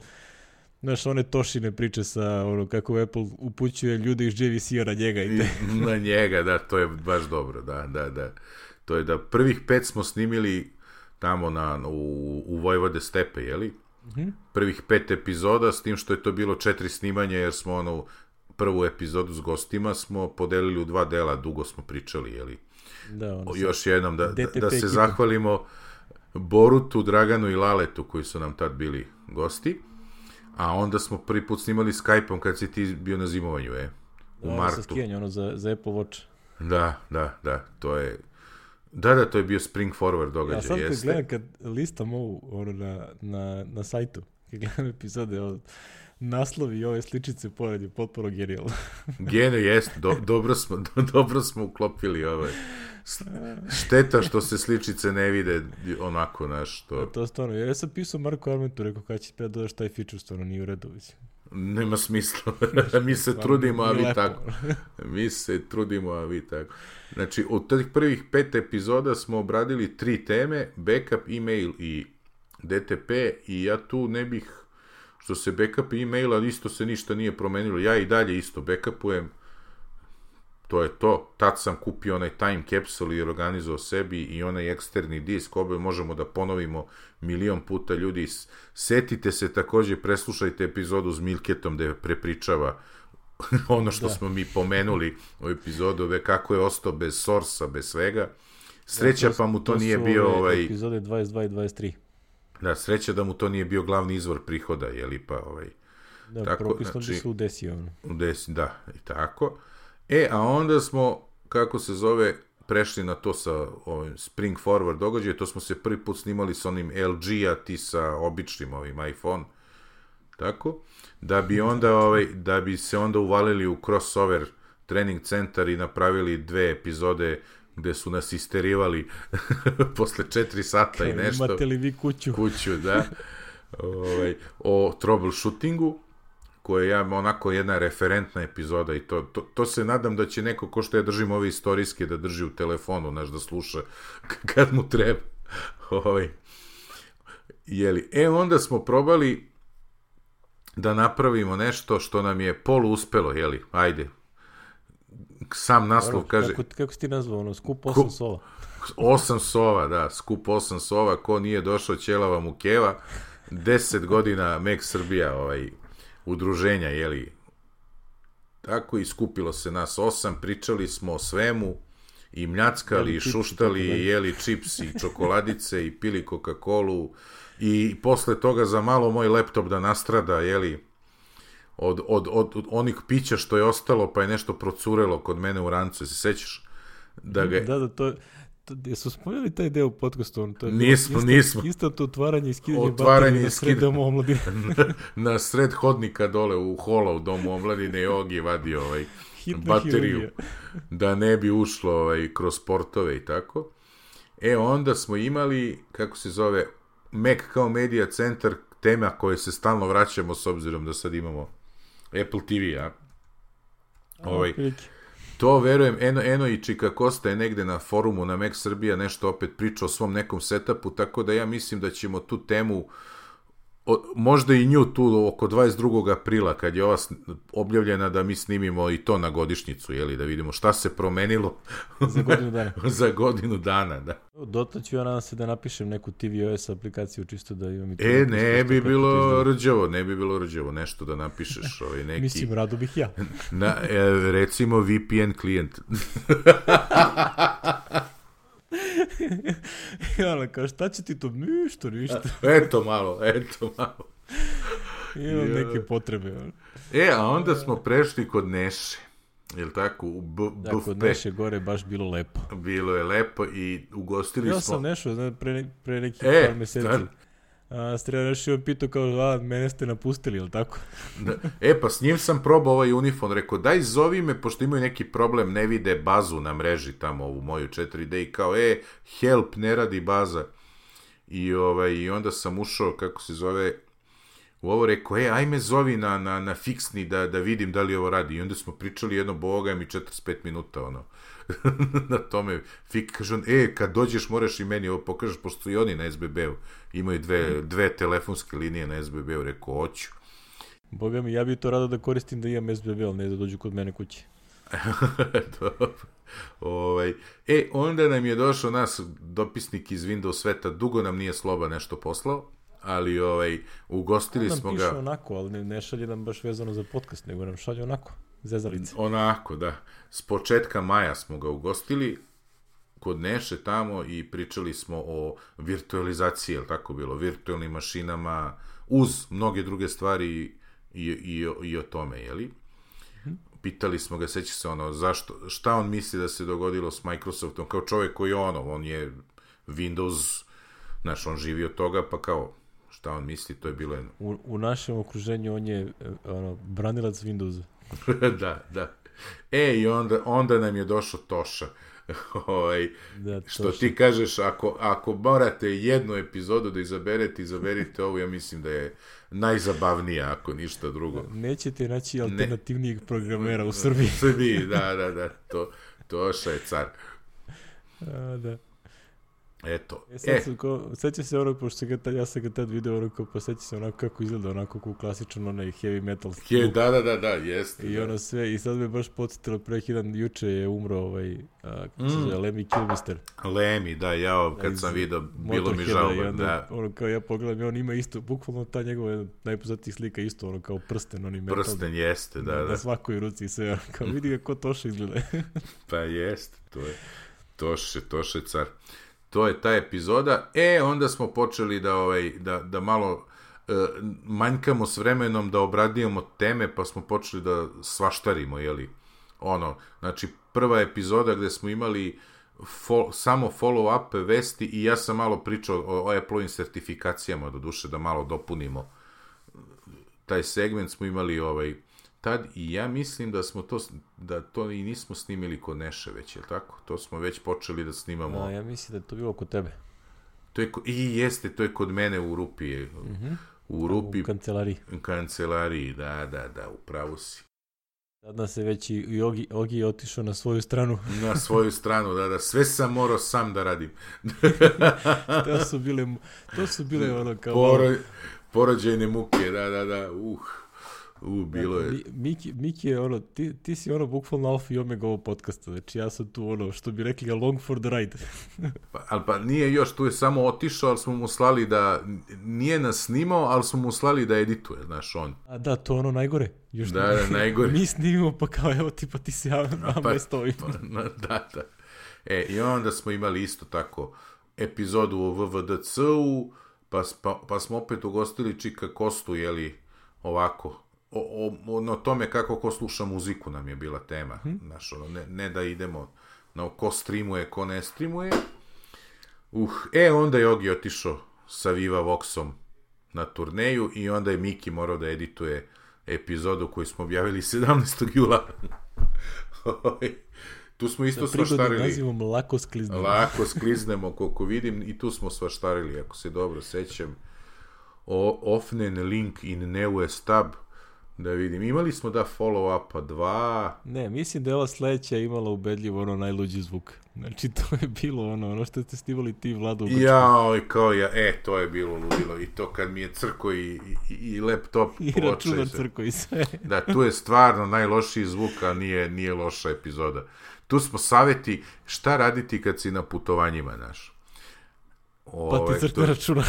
znaš, one Tošine priče sa, ono, kako Apple upućuje ljude iz J V C-a na njega i te. Na njega, da, to je baš dobro, da, da, da. To je da prvih pet smo snimili tamo na, u, u Vojvode stepe, jeli? Mm-hmm. Prvih pet epizoda, s tim što je to bilo četiri snimanja, jer smo ono, prvu epizodu s gostima smo podelili u dva dela, dugo smo pričali, jeli? Da, ono još jednom, da, da, da se ekipa. Zahvalimo Borutu, Draganu i Laletu, koji su nam tad bili gosti. A onda smo prvi put snimali Skype-om kad si ti bio na zimovanju, e? U da, martu. Sa skijanje, ono za, za Apple Watch. Da, da, da, to je... Da, da, to je bio Spring Forward događaj, jeste. Ja sad jeste. kad gledam, kad listam ovu, ono, na, na, na sajtu, kad gledam epizode, ono, naslovi i ove sličice pored je potpuno genijalno. Genijalno, jest, do, dobro, smo, do, dobro smo uklopili ovaj. Šteta što se sličice ne vide onako, znaš, što... Ja, to stvarno, ja sam pisao Marko Armentu, rekao kada će spet dodaš taj feature, stvarno nije u redu, mislim. Nema smisla, mi se trudimo, a vi tako. Mi se trudimo, a vi tako. Znači, od tih prvih pet epizoda smo obradili tri teme, backup, email i D T P, i ja tu ne bih, što se backup i emaila, isto se ništa nije promenilo, ja i dalje isto backupujem, to je to. Tad sam kupio onaj time capsule i organizovao sebi i onaj eksterni disk, obe možemo da ponovimo milion puta, ljudi. Setite se također, preslušajte epizodu s Milketom gde prepričava ono što da. smo mi pomenuli u epizodu, kako je ostao bez sorsa, bez svega. Sreća, da, to, pa mu to, to nije bio ovaj... ovaj... epizode dvadeset dva i dvadeset tri. Da, sreća da mu to nije bio glavni izvor prihoda, jeli pa ovaj... Da, tako, propisno znači, da se udesi ono. Udesi, da, i tako. E, a onda smo, kako se zove, prešli na to sa ovim Spring Forward događaje, to smo se prvi put snimali sa onim L G-a, ti sa običnim ovim iPhone, tako, da bi onda, ovaj, da bi se onda uvalili u crossover trening centar i napravili dve epizode gde su nas isterivali posle četiri sata Kaj, i nešto. Imate li vi kuću? Kuću, da. Ovaj, o troubleshootingu, koja je onako jedna referentna epizoda i to, to, to se nadam da će neko, ko što ja držim ove istorijske, da drži u telefonu, znaš, da sluša kad mu treba. Ovaj. Jeli. E, onda smo probali da napravimo nešto što nam je polu uspelo, jeli, ajde. Sam naslov Dobro, kaže... Kako, kako si ti nazvao, ono, skup osam sova? Osam sova, da, skup osam sova, ko nije došao ćelava mu keva, deset godina Mek Srbija, ovaj, udruženja, jeli, tako i skupilo se nas osam, pričali smo o svemu, i mljackali, i šuštali, i jeli čips, i čokoladice, i pili Coca-Colu, i posle toga za malo moj laptop da nastrada, jeli, od, od, od, od onih pića što je ostalo, pa je nešto procurelo kod mene u rancu, se sećaš? Da, ga... da, da, to je... Jesu spojili taj deo u podcastu? To je nismo, isto, nismo. Isto to otvaranje i skidanje otvaranje baterije na sred domu omladine. na, na sred hodnika dole u hola u domu omladine i Ogi vadio ovaj, bateriju hirurgija. Da ne bi ušlo ovaj, kroz portove i tako. E, onda smo imali, kako se zove, Mac kao media centar, tema koje se stalno vraćamo s obzirom da sad imamo Apple T V, a? Ovaj, to verujem, Eno, Eno i Čika Kosta je negde na forumu na Mac Srbija nešto opet priča o svom nekom setupu, tako da ja mislim da ćemo tu temu, o, možda i nju tu oko dvadeset drugog aprila, kad je ova objavljena, da mi snimimo i to na godišnjicu, jeli, da vidimo šta se promenilo za godinu dana. za godinu dana, da. Dotle ću ja nadam se da napišem neku T V O S aplikaciju, čisto da imam i to. E, ne bi bilo rđavo, ne bi bilo rđavo, nešto da napišeš. Ovaj, neki... Mislim, rado bih ja. Na, e, recimo V P N klijent. Ja, kao šta će ti to? Ništa, ništa. Eto malo, eto malo. Imam neke potrebe. E, a onda smo prešli kod Neše. Jel tako? U B- da, kod Neše gore baš bilo lepo. Bilo je lepo i ugostili ja smo... Ja sam Nešao, znači, pre, pre nekih e, par meseci. A, Strela Nešao pitao kao, a, mene ste napustili, jel tako? Da. E, pa s njim sam probao ovaj unifon, rekao, daj zovi me, pošto imaju neki problem, ne vide bazu na mreži tamo, ovu moju četiri D, i kao, e, help, ne radi baza. I, ovaj, i onda sam ušao, kako se zove... U ovo rekao, e, ajme zovi na, na, na fiksni da, da vidim da li ovo radi. I onda smo pričali jedno, boga mi četrdeset pet minuta, ono, na tome. Fik, kaže on, e, kad dođeš moraš i meni ovo pokažeš, pošto i oni na S B B-u imaju dve, dve telefonske linije na S B B-u, rekao, hoću. Boga mi, ja bih to rado da koristim da imam S B B, ali ne da dođu kod mene kući. Dobro. Ovaj. E, onda nam je došao nas dopisnik iz Windows sveta, dugo nam nije Sloba nešto poslao, ali ovaj, ugostili smo ga... On nam piše onako, ali ne, ne šalje nam baš vezano za podcast, nego nam šalje onako, zezalice. Onako, da. S početka maja smo ga ugostili kod Neše tamo i pričali smo o virtualizaciji, jel tako bilo, virtualnim mašinama, uz mnoge druge stvari i, i, i, i o tome, jeli? Hmm. Pitali smo ga, seća se ono, zašto, šta on misli da se dogodilo s Microsoftom, kao čovjek koji ono, on je Windows, znaš, on živi od toga, pa kao, šta on misli, to je bilo jedno. U, u našem okruženju on je ono, branilac Windowsa. Da, da. E, i onda, onda nam je došao Toša. Ovaj, da, što ti kažeš, ako, ako morate jednu epizodu da izaberete, izaberite ovu, ja mislim da je najzabavnija, ako ništa drugo. Nećete naći alternativnijeg ne. programera u Srbiji. U Srbiji, da, da, da. To, Toša je car. A, da. Eto. E, sad, e. Ko, seća se ono, pošto se ga tad, ja sam ga tad video, ono, kao, pa seća se onako kako izgleda, onako kao klasičan onaj heavy metal. He, da, da, da, da, jeste. I da. Ono sve, i sad me baš podsjetilo, prekidan, juče je umro ovaj, a, kako se zove, Lemmy Kilmister. Lemmy, da, ja kad sam vidio, bilo mi žao, onda, da. Ono, kao ja pogledam, i on ima isto, bukvalno ta njegova najpoznatijih slika isto, ono, kao prsten, oni metal. Prsten, jeste, da, da. Na svakoj ruci i sve, ono, kao vidi ga ko Toša izgleda. Pa jeste, to je, Toše, Toše car. to je ta epizoda. E, onda smo počeli da, ovaj, da, da malo e, manjkamo s vremenom da obradijemo teme, pa smo počeli da svaštarimo, jeli? Ono, znači, prva epizoda gde smo imali fo, samo follow-up vesti i ja sam malo pričao o, o Apple-ovim sertifikacijama, do duše, da malo dopunimo taj segment smo imali ovaj tad i ja mislim da smo to, da to i nismo snimili kod Neše već, je tako? To smo već počeli da snimamo. A, ja mislim da je to bilo kod tebe. To je, I jeste, to je kod mene u Rupi. Mm-hmm. U Rupi. U kancelariji. U kancelariji, da, da, da, upravo si. Sad nas je već i Ogi, Ogi je otišao na svoju stranu. Na svoju stranu, da, da. Sve sam morao sam da radim. to su bile, to su bile ono kao... Poro, porođajne muke, da, da, da, uh. U, bilo je. Miki, Miki je ono, ti, ti si ono bukvalno alfa i omega ovog podcasta, znači ja sam tu ono, što bi rekli, along for the ride. pa, ali pa nije još, tu je samo otišao, ali smo mu slali da, nije nas snimao, ali smo mu slali da edituje, znaš, on. A da, to ono najgore. Još da, da, najgore. Mi snimimo, pa kao, evo ti, pa ti si ja, pa, pa, stoji. Pa, da, da. E, i onda smo imali isto tako epizodu o V V D C-u, pa, pa, pa smo opet ugostili Čika Kostu, jeli, ovako, O, o, o tome kako ko sluša muziku nam je bila tema. Hmm. Znaš, ono, ne, ne da idemo na ko streamuje, ko ne streamuje. Uh, e, onda je Ogi otišao sa Viva Voxom na turneju i onda je Miki morao da edituje epizodu koju smo objavili sedamnaestog jula. Tu smo isto svaštarili. Da nazivom lako skliznemo. Lako skliznemo, koliko vidim, i tu smo svaštarili, ako se dobro sećam. O, Ofnen link in neue stab. Da vidim, imali smo da follow-upa dva... Ne, mislim da je ova sledeća imala ubedljivo ono najluđi zvuk. Znači, to je bilo ono, ono što ste snimali ti, Vlado. Jao, i kao ja, e, to je bilo ludilo. I to kad mi je crko i, i, i laptop... I računar crko i sve. Da, tu je stvarno najlošiji zvuk, a nije, nije loša epizoda. Tu smo savjeti šta raditi kad si na putovanjima, znaš. Pa ti crkne to... računar.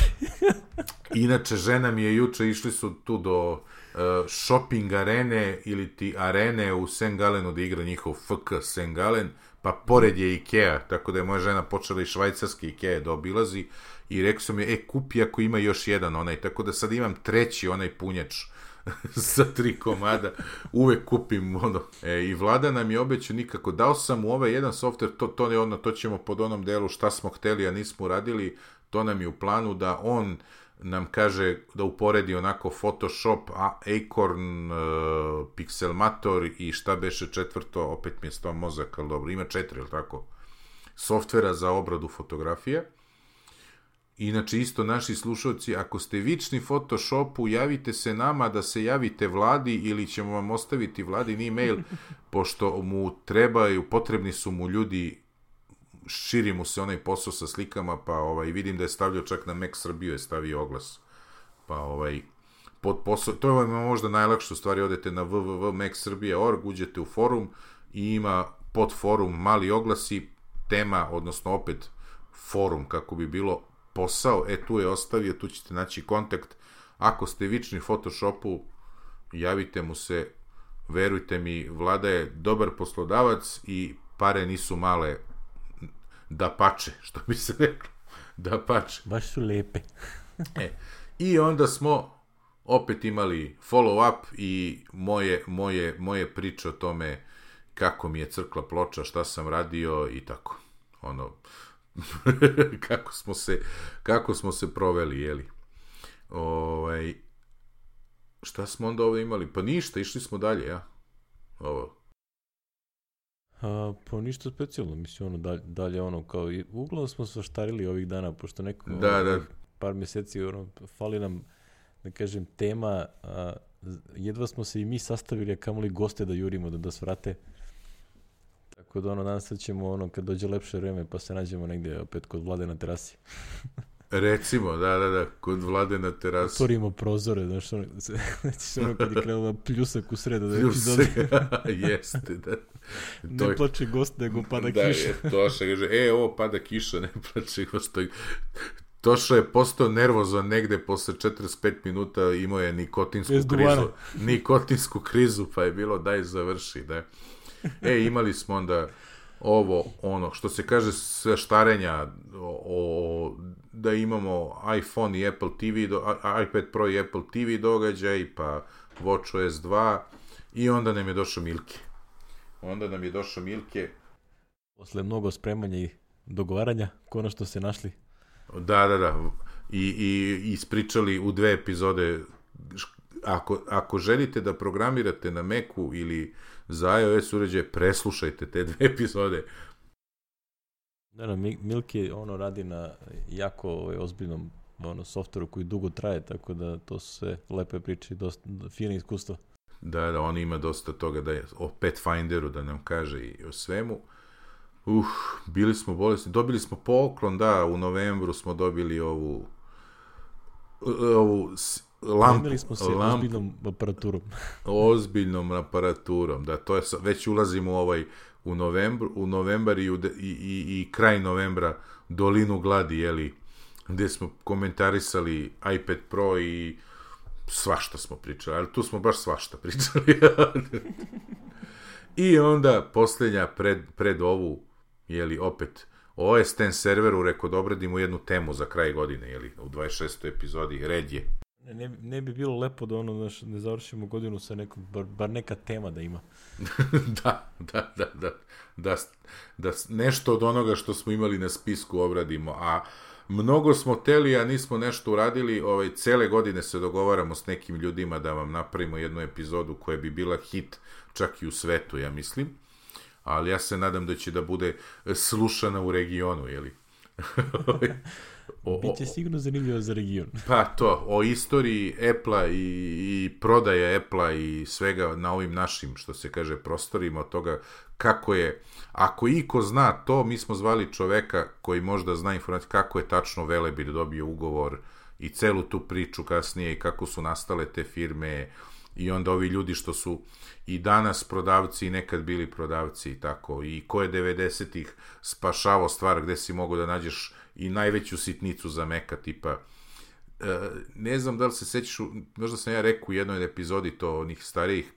Inače, žena mi je juče, išli su tu do... Uh, shopping arene ili ti arene u Saint Galenu da igra njihov F K Saint Galen, pa pored je Ikea, tako da je moja žena počela i švajcarski Ikea da obilazi i rekao sam je, e, kupi ako ima još jedan onaj, tako da sad imam treći onaj punjač sa tri komada, uvek kupim ono, e, i Vlada nam je obećao nikako, dao sam u ovaj jedan software, to, to, je ono, to ćemo pod onom delu šta smo hteli, a nismo uradili, to nam je u planu da on nam kaže da uporedi onako Photoshop, Acorn, uh, Pixelmator i šta beše četvrto, opet mi je stao mozak, ali dobro, ima četiri, ili tako, softvera za obradu fotografije. Inače, isto naši slušalci, ako ste vični Photoshopu, javite se nama da se javite Vladi ili ćemo vam ostaviti Vladin e-mail, pošto mu trebaju, potrebni su mu ljudi, širi mu se onaj posao sa slikama, pa ovaj, vidim da je stavljao čak na Mac Srbiju, je stavio oglas. Pa ovaj, pod posao, to je ovaj možda najlakše, u stvari odete na w w w tačka mac srbija tačka org, uđete u forum i ima pod forum mali oglasi, tema, odnosno opet forum, kako bi bilo posao, e tu je ostavio, tu ćete naći kontakt. Ako ste vični Photoshopu, javite mu se, verujte mi, Vlada je dobar poslodavac i pare nisu male, da pače, što bi se reklo, da pače. Baš su lepe. e, I onda smo opet imali follow-up i moje, moje, moje priče o tome kako mi je crkla ploča, šta sam radio i tako. Ono, kako smo se, kako smo se proveli, jeli. Ovaj, šta smo onda ovdje imali? Pa ništa, išli smo dalje, ja. Ovo. A, pa ništa specijalno, mislim, ono, dalje, dalje ono, kao, i uglavnom smo svaštarili ovih dana, pošto neko, da, ono, da. par mjeseci, ono, fali nam, da kažem, tema, a, jedva smo se i mi sastavili, a kamoli goste da jurimo, da, da svrate. Tako da, ono, danas sad ćemo, ono, kad dođe lepše vreme, pa se nađemo negdje opet kod Vlade na terasi. Recimo, da, da, da, kod Vlade na terasi. Otvorimo prozore, znaš, ono, znači, ono kad je krenula pljusak u sredu. Da pljusak, jeste, da. Ne to plače gost, nego pada da, kiša. Da, Toša kaže, e, ovo pada kiša, ne plače gost. Toša je postao nervozan negde posle četrdeset pet minuta, imao je nikotinsku krizu. Nikotinsku krizu, pa je bilo daj završi, da. E, imali smo onda ovo, ono, što se kaže sve štarenja o, o, da imamo iPhone i Apple T V, do, iPad Pro i Apple T V događaj, pa WatchOS dva i onda nam je došao Milke. Onda nam je došao Milke. Posle mnogo spremanja i dogovaranja, konačno ste našli. Da, da, da. I, i ispričali u dve epizode. Ako, ako želite da programirate na Macu ili za iOS uređaje, preslušajte te dve epizode. Da, da, Milke ono radi na jako ovaj, ozbiljnom ono, softveru koji dugo traje, tako da to su sve lepe priče i dosta fine iskustva. Da, da, on ima dosta toga da je o Pathfinderu da nam kaže i o svemu. Uh, bili smo bolesni. Dobili smo poklon, da, u novembru smo dobili ovu ovu lampu. Imali smo se lampu, ozbiljnom aparaturom. ozbiljnom aparaturom, da, to je, već ulazimo u ovaj, u novembru, u novembar i, u de, i, i, i kraj novembra dolinu gladi, jeli, gde smo komentarisali iPad Pro i svašta smo pričali, ali tu smo baš svašta pričali. I onda posljednja pred, pred ovu, jeli, opet O S X serveru, rekao da obradimo jednu temu za kraj godine, jeli, u dvadeset šestoj epizodi, red je. Ne, ne bi bilo lepo da ono, znaš, ne završimo godinu sa nekom, bar, bar neka tema da ima. da, da, da, da, da, da nešto od onoga što smo imali na spisku obradimo, a mnogo smo teli, a nismo nešto uradili, ovaj, cele godine se dogovaramo s nekim ljudima da vam napravimo jednu epizodu koja bi bila hit čak i u svetu, ja mislim, ali ja se nadam da će da bude slušana u regionu, jeli? O, Biće sigurno zanimljivo za region. Pa to, o istoriji Apple-a i, i prodaje Apple-a i svega na ovim našim, što se kaže, prostorima, od toga kako je, ako iko zna to, mi smo zvali čoveka koji možda zna informaciju kako je tačno Velebit dobio ugovor i celu tu priču kasnije i kako su nastale te firme i onda ovi ljudi što su i danas prodavci i nekad bili prodavci i tako, i ko je devedesetih spašavao stvar gde si mogo da nađeš i najveću sitnicu za Maca, tipa, e, ne znam da li se sećaš, možda sam ja rekao u jednoj epizodi to onih starijih,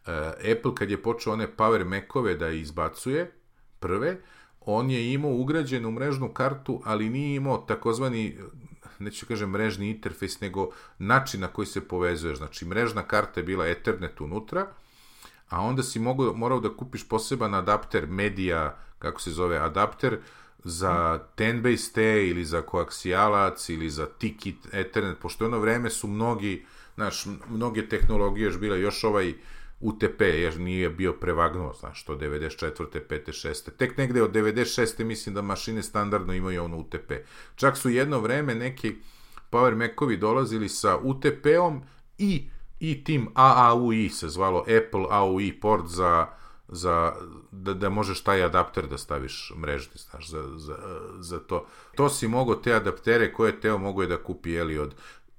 e, Apple kad je počeo one Power Macove da izbacuje, prve, on je imao ugrađenu mrežnu kartu, ali nije imao takozvani, neću kažem mrežni interfejs, nego način na koji se povezuješ. Znači, mrežna karta je bila Ethernet unutra, a onda si mogao, morao da kupiš poseban adapter, media, kako se zove, adapter, za ten base T ili za koaksijalac ili za Tiki Ethernet, pošto ono vreme su mnogi, znaš, mnoge tehnologije još bile, još ovaj U T P, jer nije bio prevagnuo, znaš, to devedeset četvrte, pete, šeste Tek negde od devedeset šeste mislim da mašine standardno imaju ono U T P. Čak su jedno vreme neki Power Macovi dolazili sa U T P-om i, i tim A A U I se zvalo, Apple A U I port za, za da, da možeš taj adapter da staviš mrežni, znaš, za, za, za to. To si mogao te adaptere koje Teo mogo je da kupi, jeli, od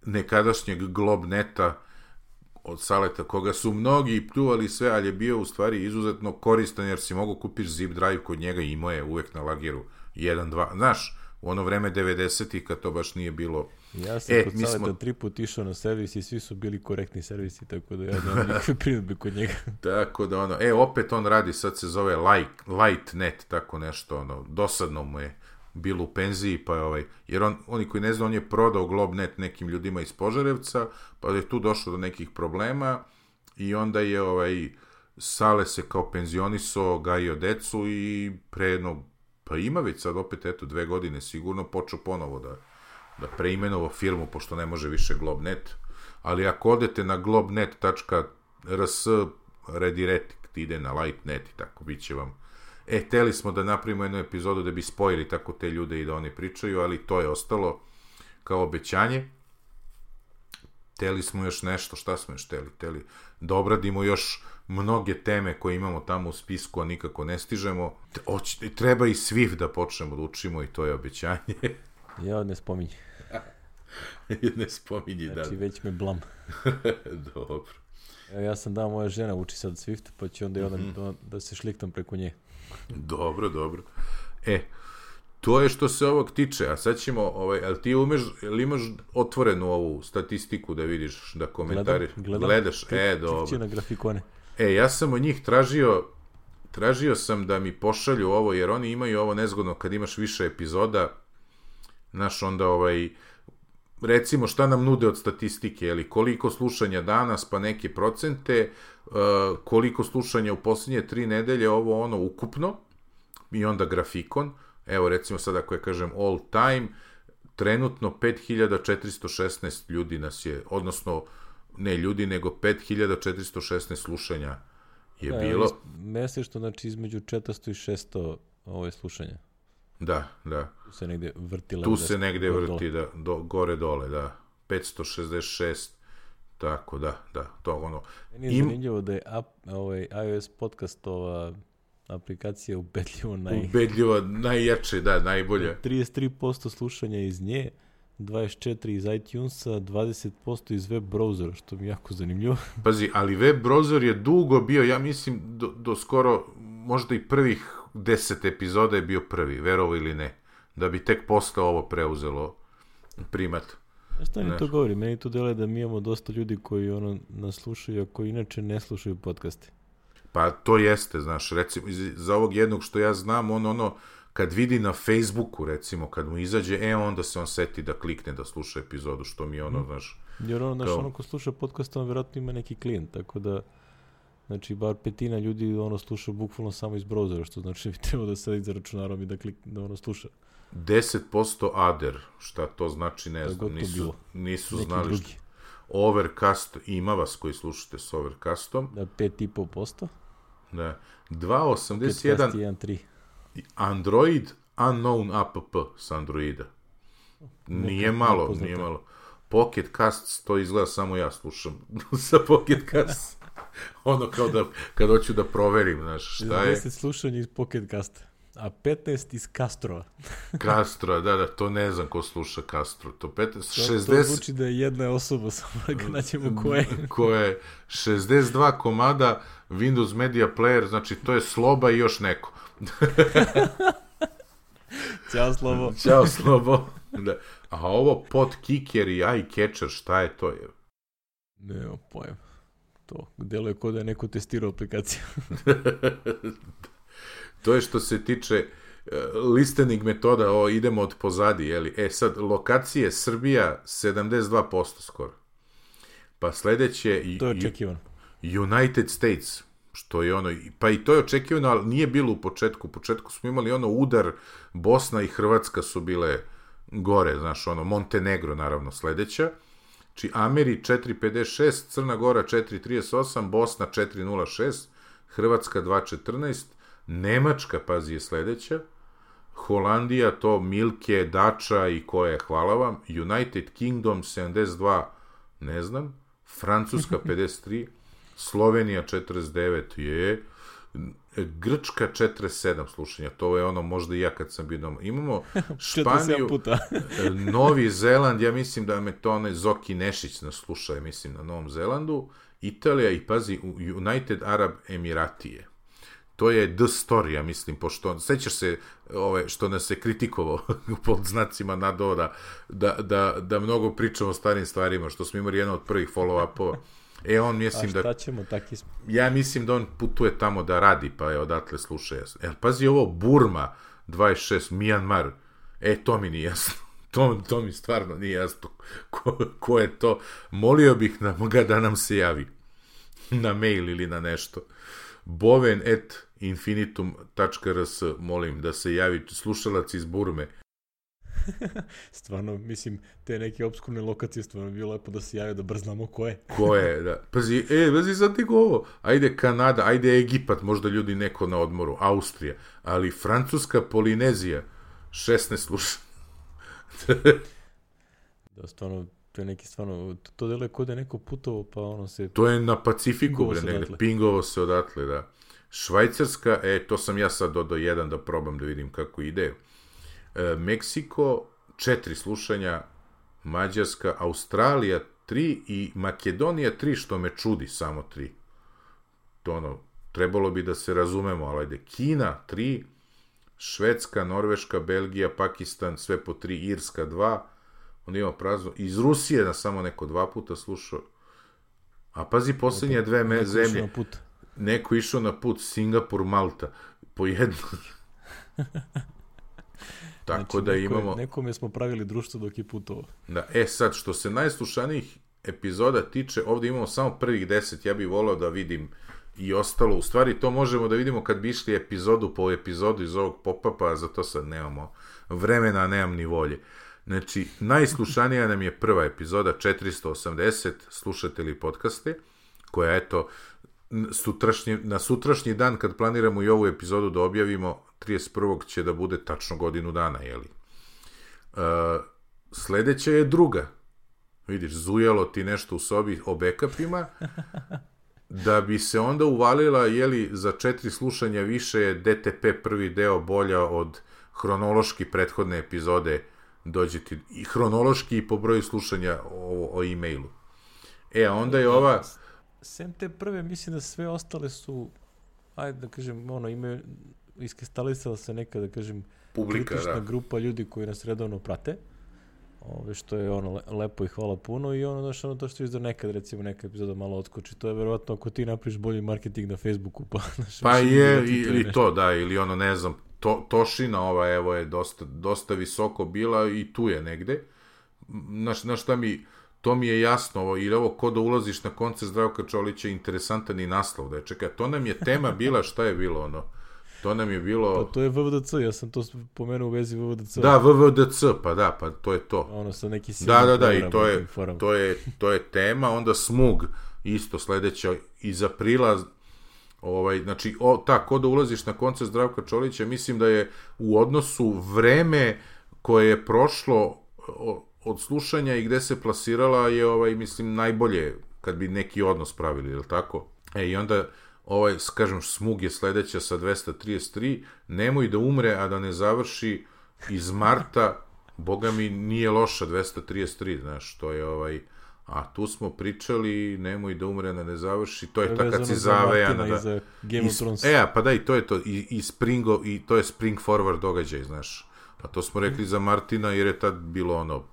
nekadašnjeg Globneta, od Saleta, koga su mnogi pljuvali sve, ali je bio u stvari izuzetno koristan, jer si mogo kupiš zip drive kod njega i imao je uvek na lageru jedan dva. Znaš, u ono vreme devedesetih kad to baš nije bilo. Ja sam e, kod Saleta smo... tri put išao na servis i svi su bili korektni servisi, tako da ja nemam nikakve primjedbe kod njega. Tako da ono, e, opet on radi, sad se zove Light, Lightnet, tako nešto, ono, dosadno mu je bilo u penziji, pa je ovaj, jer on, oni koji ne zna, on je prodao Globnet nekim ljudima iz Požarevca, pa je tu došlo do nekih problema i onda je ovaj, Sale se kao penzionisao, gajio decu i pre jedno, pa ima već sad opet, eto, dve godine sigurno počeo ponovo da, da preimenovao firmu, pošto ne može više Globnet, ali ako odete na globnet tačka r s redirect ide na Lightnet i tako, bit će vam. E, teli smo da napravimo jednu epizodu da bi spojili tako te ljude i da oni pričaju, ali to je ostalo kao obećanje. Teli smo još nešto, šta smo još teli? Teli da obradimo još mnoge teme koje imamo tamo u spisku, a nikako ne stižemo. Oć, treba i Swift da počnemo da učimo i to je obećanje. Ja ne spominji. ne spominji, znači, da. Znači, već me blam. Dobro. Ja sam dao, moja žena uči sad Swift, pa će onda mm-hmm. i onda da se šliktam preko nje. Dobro, dobro. E, to je što se ovog tiče, a sad ćemo, ovaj, ali ti umeš, ili imaš otvorenu ovu statistiku da vidiš, da komentariš? Gledam, gledam. Gledaš, Klik, e, dobro. Klikću na grafikone. E, ja sam od njih tražio tražio sam da mi pošalju ovo, jer oni imaju ovo nezgodno kad imaš više epizoda, znaš, onda ovaj, recimo šta nam nude od statistike, jeli, koliko slušanja danas, pa neke procente, uh, koliko slušanja u posljednje tri nedelje, ovo ono ukupno, i onda grafikon, evo recimo sad ako ja kažem all time, trenutno pet hiljada četiristo šesnaest ljudi nas je, odnosno ne ljudi, nego pet hiljada četiristo šesnaest slušanja je da, bilo. Mesečno, znači između četiristo i šesto ove slušanja. Da, da. Tu se negde vrti. Tu se negde vrti, da, do, gore dole, da. petsto šezdeset šest, tako, da, da, to ono. Meni je Im... zanimljivo da je ap, ovaj, iOS podcast ova aplikacija ubedljivo naj... Ubedljivo najjače, da, najbolje. trideset tri posto slušanja iz nje, dvadeset četiri iz iTunesa, dvadeset posto iz web browsera, što mi je jako zanimljivo. Pazi, ali web browser je dugo bio, ja mislim, do, do skoro, možda i prvih deset epizoda je bio prvi, verovo ili ne, da bi tek posle ovo preuzelo primat. A šta mi to govori? Meni to deluje da mi imamo dosta ljudi koji ono nas slušaju, a koji inače ne slušaju podcaste. Pa to jeste, znaš, recimo, za ovog jednog što ja znam, on ono, kad vidi na Facebooku, recimo, kad mu izađe, e, onda se on seti da klikne da sluša epizodu, što mi je ono, znaš... Jer ono, znaš, ono ko sluša podcast, on vjerojatno ima neki klijent, tako da, znači, bar petina ljudi ono sluša bukvalno samo iz browsera, što znači bi trebao da sedi za računarom i da, klik, da ono sluša. deset posto other, šta to znači, ne da znam, nisu, nisu znali drugi. Što... Overcast, ima vas koji slušate s Overcastom. Da, pet i po posto. Da, dva osamdeset jedan Android Unknown app s Androida. Nije malo, nije malo. Pocket Casts, to izgleda samo ja slušam sa Pocket Casts. Ono kao da, kad hoću da proverim, znaš, šta je. deset slušanja iz Pocket Casta, a petnaest iz Castrova. Castrova, da, da, to ne znam ko sluša Castro. To petnaest, to, šezdeset... to zvuči da je jedna osoba, samo da ga naćemo ko je. Ko je šezdeset dva komada Windows Media Player, znači to je Sloba i još neko. Ćao Slobo. Ćao Slobo. Da. A ovo Podkicker i iCatcher, šta je to? Je? Nema pojem. To deluje kod da je neko testirao aplikaciju. To je što se tiče uh, listening metoda, o, idemo od pozadi, jeli? E sad, lokacije Srbija sedamdeset dva posto skoro. Pa sledeće... To je očekivano. United States, što je ono, pa i to je očekivano, ali nije bilo u početku. U početku smo imali ono udar, Bosna i Hrvatska su bile gore, znaš, ono, Montenegro naravno sledeća. Či Ameri četiri pedeset šest, Crna Gora četiri trideset osam, Bosna četiri nula šest, Hrvatska dva četrnaest, Nemačka, pazi, je sledeća, Holandija, to Milke, Dača i koje, hvala vam, United Kingdom sedamdeset dva, ne znam, Francuska pedeset tri, Slovenija četrdeset devet, je, Grčka četrdeset sedam slušanja, to je ono možda i ja kad sam bio doma. Imamo Španiju, Novi Zeland, ja mislim da me to onaj Zoki Nešić nas sluša, mislim, na Novom Zelandu, Italija i, pazi, United Arab Emiratije. To je The Story, ja mislim, pošto, sećaš se ove, što nas se kritikovao pod znacima nadoda, da, da, da mnogo pričamo o starim stvarima, što smo imali jedan od prvih follow-upova. E, on mislim da... A šta ćemo, taki smo. Ja mislim da on putuje tamo da radi, pa je odatle sluša jasno. E, pazi ovo, Burma, dvadeset šest, Myanmar, e, to mi nije jasno. To, to mi stvarno nije jasno. Ko, ko je to? Molio bih nam ga da nam se javi. Na mail ili na nešto. boven at infinitum tačka r s, molim da se javi slušalac iz Burme. Stvarno, mislim, te neke obskurne lokacije stvarno bilo lepo da se javi da brznamo ko je. Ko je, da. Pazi, e, pazi sad ti ovo. Ajde Kanada, ajde Egipat, možda ljudi neko na odmoru, Austrija, ali Francuska Polinezija, šesnaest sluša. Da, stvarno, to je neki stvarno, to, to deluje kod je neko putovo, pa ono se... To je na Pacifiku, bre, negde, pingovo se odatle, da. Švajcarska, e, to sam ja sad dodao jedan da probam da vidim kako ide. E, Meksiko, četiri slušanja, Mađarska, Australija, tri i Makedonija, tri, što me čudi, samo tri. To ono, trebalo bi da se razumemo, ali ajde, Kina, tri, Švedska, Norveška, Belgija, Pakistan, sve po tri, Irska, dva, onda ima prazno, iz Rusije na samo neko dva puta slušao, a pazi, posljednje dve me zemlje, neko išao na put Singapur, Malta, po jednu. Tako znači, da neko, imamo... Nekome smo pravili društvo dok je putovao. Da, e sad, što se najslušanijih epizoda tiče, ovdje imamo samo prvih deset, ja bih volao da vidim i ostalo. U stvari, to možemo da vidimo kad bi išli epizodu po epizodu iz ovog pop-upa, a za to sad nemamo vremena, nemam ni volje. Znači, najslušanija nam je prva epizoda, četiristo osamdeset, slušatelji podcaste, koja, eto, sutrašnji, na sutrašnji dan, kad planiramo i ovu epizodu da objavimo, trideset prvog će da bude tačno godinu dana, jeli? Uh, sledeća je druga. Vidiš, zujalo ti nešto u sobi o backupima, da bi se onda uvalila, jeli, za četiri slušanja više je D T P prvi deo bolja od hronološki prethodne epizode, dođe ti i hronološki i po broju slušanja o, o e-mailu. E, a onda je ova... Sem te prve, mislim da sve ostale su, ajde da kažem, ono, imaju, iskristalisala se neka, da kažem, publika, kritična da. grupa ljudi koji nas redovno prate, ove, što je ono lepo i hvala puno, i ono, znaš, ono to što izdao nekad, recimo, neka epizoda malo odskoči, to je verovatno ako ti napriš bolji marketing na Facebooku, pa... Znaš, pa je, ili to, da, ili ono, ne znam, to, Tošina ova, evo, je dosta, dosta visoko bila i tu je negde. Znaš, znaš šta mi... To mi je jasno, ovo, ili ovo ko da ulaziš na koncert Zdravka Čolića, interesantan i naslov, da je, čekaj, to nam je tema bila, šta je bilo, ono, to nam je bilo... Pa to je V V D C, ja sam to pomenuo u vezi V V D C. Da, V V D C, pa da, pa to je to. Ono sa neki da, da, da, i to je, to je, to je tema, onda Smug, isto sledeća, iz aprila, ovaj, znači, o, ta, ko da ulaziš na koncert Zdravka Čolića, mislim da je u odnosu vreme koje je prošlo... O, od slušanja i gde se plasirala je, ovaj, mislim, najbolje kad bi neki odnos pravili, je li tako? E, i onda, ovaj, kažem, Smug je sledeća sa dvesta trideset tri, Nemoj da umre, a da ne završi, iz marta, boga mi, nije loša dvesta trideset tri, znaš, to je, ovaj, a tu smo pričali, Nemoj da umre, da ne završi, to je ta kad si zavejana, da... Za Game of Thrones. E, pa da, i to je to, i, i, Springo, i to je Spring Forward događaj, znaš. Pa to smo rekli za Martina, jer je tad bilo ono,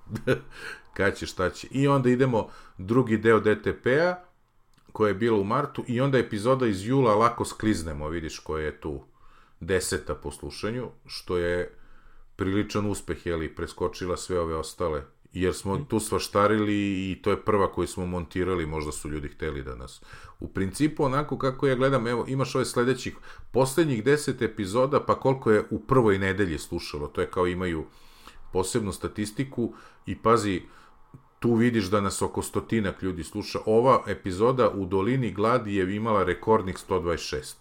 kada će, šta će. I onda idemo drugi deo D T P-a, koja je bila u martu, i onda epizoda iz jula Lako skliznemo, vidiš, koja je tu deseta po slušanju, što je priličan uspeh, jeli, preskočila sve ove ostale, jer smo tu svaštarili i to je prva koju smo montirali, možda su ljudi hteli da nas... U principu, onako kako ja gledam, evo, imaš ove sledećih, poslednjih deset epizoda, pa koliko je u prvoj nedelji slušalo, to je kao imaju posebnu statistiku i pazi, tu vidiš da nas oko stotinak ljudi sluša. Ova epizoda u Dolini gladi je imala rekordnih sto dvadeset šest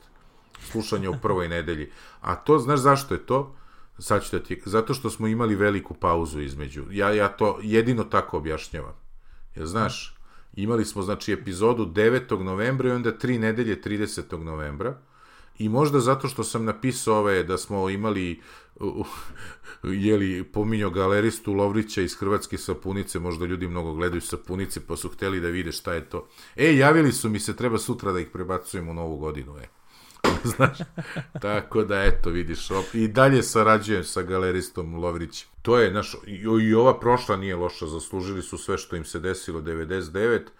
slušanja u prvoj nedelji. A to, znaš zašto je to? Sad ću da ti, zato što smo imali veliku pauzu između. Ja, ja to jedino tako objašnjavam. Jer, znaš, imali smo, znači, epizodu devetog novembra i onda tri nedelje tridesetog novembra. I možda zato što sam napisao ove, da smo imali, uh, jeli, pominjao galeristu Lovrića iz Hrvatske sapunice, možda ljudi mnogo gledaju sapunice, pa su hteli da vide šta je to. E, javili su mi se, treba sutra da ih prebacujem u novu godinu, e. Znaš, tako da, eto, vidiš, op, i dalje sarađujem sa galeristom Lovrićem. To je, znaš, i, i ova prošla nije loša, zaslužili su sve što im se desilo, devedeset devet.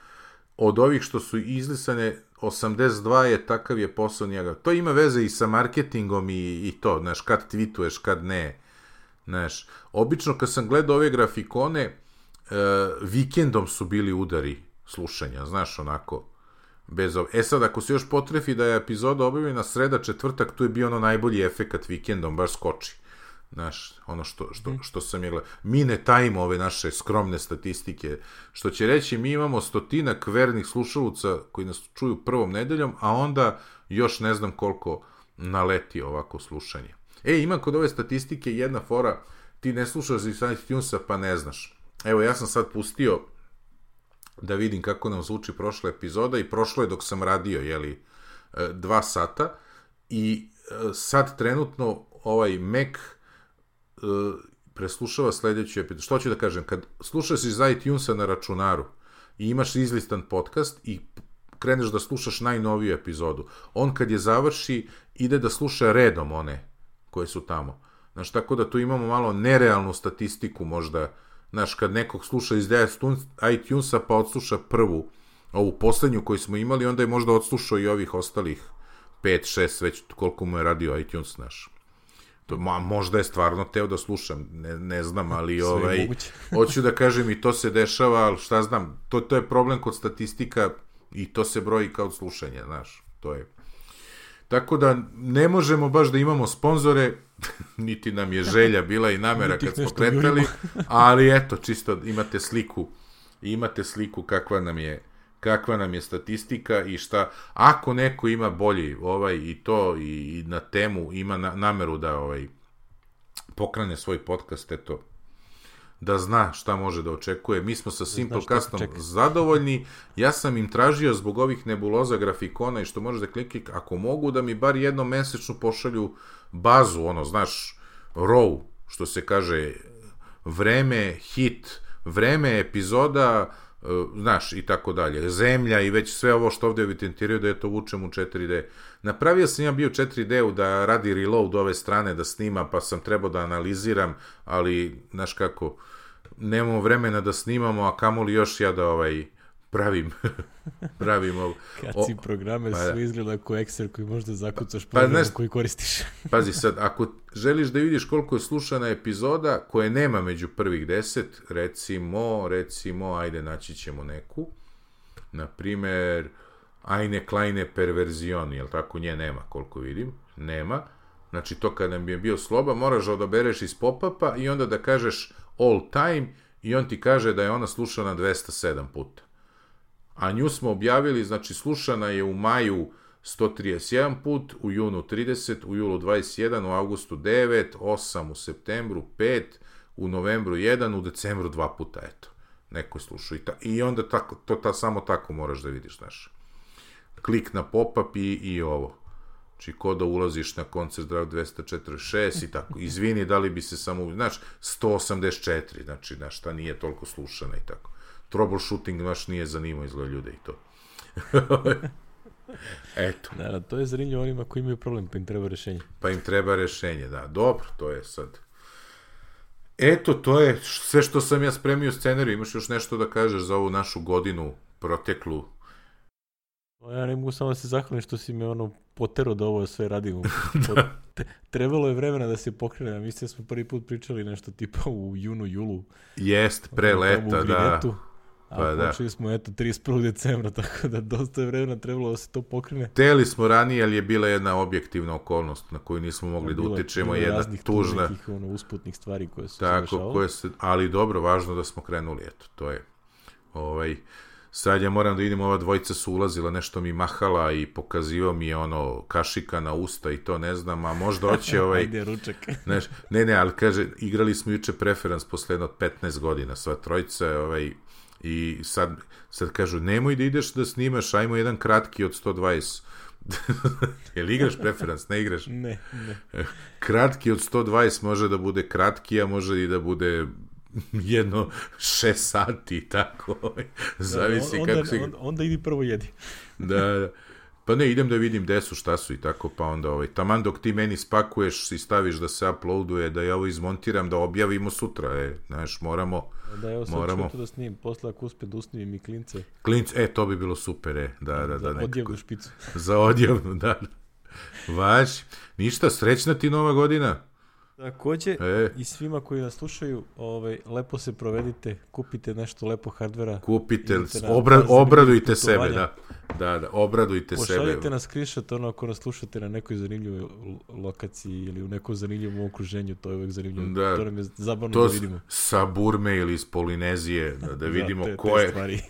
Od ovih što su izlisane, osamdeset dva je, takav je posao njega. To ima veze i sa marketingom i, i to, znaš, kad tweetuješ, kad ne, znaš. Obično kad sam gledao ove grafikone, e, vikendom su bili udari slušanja, znaš, onako, bez ov... E sad, ako se još potrefi da je epizoda objavljena sreda, četvrtak, tu je bio ono najbolji efekat vikendom, baš skoči. Znaš, ono što, što, što sam je gledao. Mi ne tajimo ove naše skromne statistike, što će reći, mi imamo stotinak vernih slušaluca koji nas čuju prvom nedeljom, a onda još ne znam koliko naleti ovako slušanje. E, ima kod ove statistike jedna fora, ti ne slušaš iz iTunesa pa ne znaš. Evo, ja sam sad pustio da vidim kako nam zvuči prošla epizoda i prošlo je dok sam radio, jeli, dva sata i sad trenutno ovaj Mac preslušava sledeću epizodu. Što ću da kažem, kad slušaš iz iTunesa na računaru i imaš izlistan podcast i kreneš da slušaš najnoviju epizodu, on kad je završi ide da sluša redom one koje su tamo. Znaš, tako da tu imamo malo nerealnu statistiku možda. Znaš, kad nekog sluša iz iTunesa pa odsluša prvu ovu poslednju koju smo imali, onda je možda odslušao i ovih ostalih pet, šest, već koliko mu je radio iTunes naš. To, ma, možda je stvarno teo da slušam, ne, ne znam, ali ovaj, hoću da kažem i to se dešava, ali šta znam, to, to je problem kod statistika i to se broji kao slušanje, znaš, to je. Tako da ne možemo baš da imamo sponzore, niti nam je želja bila i namera kad smo kretali, ali eto, čisto imate sliku, imate sliku kakva nam je kakva nam je statistika i šta, ako neko ima bolji ovaj i to i, i na temu ima na, nameru da ovaj pokrene svoj podcast, eto, da zna šta može da očekuje. Mi smo sa Simplecastom zadovoljni. Ja sam im tražio zbog ovih nebuloza grafikona i što možeš da klikni, ako mogu da mi bar jednom mesečno pošalju bazu, ono, znaš, row, što se kaže, vreme, hit, vreme, epizoda, znaš, i tako dalje, zemlja i već sve ovo što ovde evidentiraju da je to vučem u četiri D. Napravio sam ja bio četiri D-u da radi reload ove strane, da snima, pa sam trebao da analiziram, ali, znaš kako, nemamo vremena da snimamo, a kamoli još ja da ovaj, pravim, pravim ovo. Kad si programe, pa, sve izgleda kao Excel koji možda zakucaš pa, program znaš, koji koristiš. Pazi sad, ako želiš da vidiš koliko je slušana epizoda koje nema među prvih deset, recimo, recimo, ajde naći ćemo neku, na primer, Eine kleine Perversion, jel tako, nje nema koliko vidim, nema, znači to kad nam je bio sloba, moraš da odabereš iz pop-upa i onda da kažeš all time i on ti kaže da je ona slušana dvesta sedam puta. A nju smo objavili, znači slušana je u maju sto trideset jedan put, u junu trideset, u julu dvadeset jedan, u avgustu devet, osam, u septembru pet, u novembru jedan, u decembru dva puta, eto. Neko je slušao i, ta, i onda tako, to ta, samo tako moraš da vidiš, znaš. Klik na pop-up i, i ovo. Znači, ko da ulaziš na koncert Drive dvesta četrdeset šest i tako. Izvini, da li bi se samo, znaš, sto osamdeset četiri, znači, znaš, ta nije toliko slušana i tako. Troubleshooting baš nije zanimao izgleda ljude i to. Eto. Da, to je zanimljivo onima koji imaju problem, pa im treba rešenje. Pa im treba rešenje, da. Dobro, to je sad. Eto, to je sve što sam ja spremio scenariju. Imaš još nešto da kažeš za ovu našu godinu proteklu? Ja ne mogu samo da se zahvalim što si me ono potero da ovo sve radimo. da. Trebalo je vremena da se pokrene, a mislim da smo prvi put pričali nešto tipa u junu, julu. Jest, pre leta, da. A pa počeli da. smo, eto, trideset prvog decembra, tako da dosta je vremena trebalo da se to pokrene. Teli smo ranije, ali je bila jedna objektivna okolnost na koju nismo mogli da, da utičemo, jedna tužna. Bilo nekih ono, usputnih stvari koje su tako, se dešavale. Koje se, ali dobro, važno da smo krenuli, eto, to je. Ovaj, sad ja moram da vidim, ova dvojica su ulazila, nešto mi mahala i pokazivao mi je ono kašika na usta i to ne znam, a možda hoće ovaj... Ajde, ručak. Neš, ne, ne, ali kaže, igrali smo juče preferans posle jedno petnaest godina, sva trojica, ovaj... I sad, sad kažu, nemoj da ideš da snimaš, ajmo jedan kratki od sto dvadeset. Jel igraš preferans? Ne igraš? Ne, ne. Kratki od sto dvadeset može da bude kratki, a može i da bude jedno šest sati i tako. Zavisi da, onda, kako si... Onda, onda idi prvo jedi. Da, da. Pa ne, idem da vidim gde su, šta su i tako, pa onda ovaj, taman dok ti meni spakuješ i staviš da se uploaduje, da ja ovo izmontiram, da objavimo sutra, e, znaš, moramo... Da, evo sad moramo... ću da snim, posle ako uspe da usnimim i klince. Klince, e, to bi bilo super, e, da, da, da. Za nekako... odjevnu špicu. Za odjevnu, da. Vaš, ništa, srećna ti nova godina. Takođe, e. i svima koji nas slušaju, ovaj, lepo se provedite, kupite nešto lepo hardvera. Kupite, obra, obradujte sebe, da. Da, da, obradujte Pošaljite sebe. Pošaljite nas screenshot, ono, ako nas slušate na nekoj zanimljivoj lokaciji ili u nekom zanimljivom okruženju, to je uvek zanimljivo. Da. To nam je zabavno to da vidimo. Sa Burme ili iz Polinezije, da, da vidimo da, te, ko je... Stvari.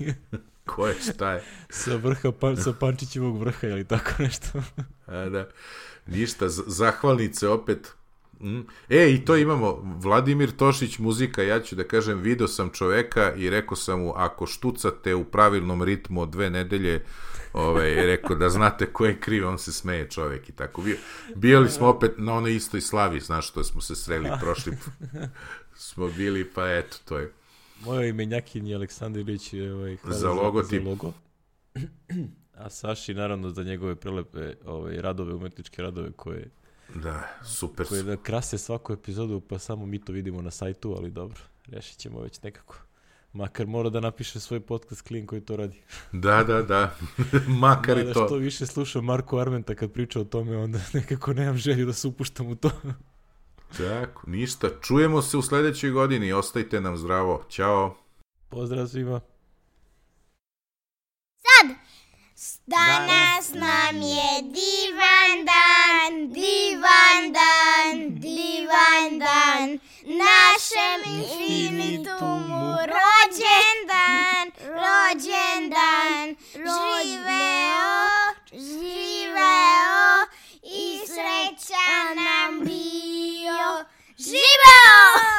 Ko je, šta je? Sa vrha, pa, sa Pančićevog vrha ili tako nešto. A, da. Ništa, zahvalnice opet... Mm. E, i to imamo, Vladimir Tošić muzika, ja ću da kažem, video sam čoveka i rekao sam mu, ako štucate u pravilnom ritmu od dve nedelje, ovaj, rekao da znate ko je kriv, on se smeje čovek i tako. Bio, bili smo opet na onoj istoj slavi, znaš što smo se sreli prošli, smo bili, pa eto, to je. Moje imenjakin je Aleksandar Ilić, ovaj, za logotip. Za logo. A Saši, naravno, za njegove prelepe ovaj, radove, umetničke radove koje da, super. Koje da krase svaku epizodu, pa samo mi to vidimo na sajtu, ali dobro, rešit ćemo već nekako. Makar mora da napiše svoj podcast klin koji to radi. Da, da, da. Makar da, i to. Što više slušam Marko Armenta kad priča o tome, onda nekako nemam želju da se upuštam u to. Tako, ništa. Čujemo se u sledećoj godini. Ostajte nam zdravo. Ćao. Pozdrav svima. Sad! Danas nam je divan dan, divan dan, divan dan, našem infinitumu rođendan, rođendan, živeo, živeo i srećan nam bio, živeo!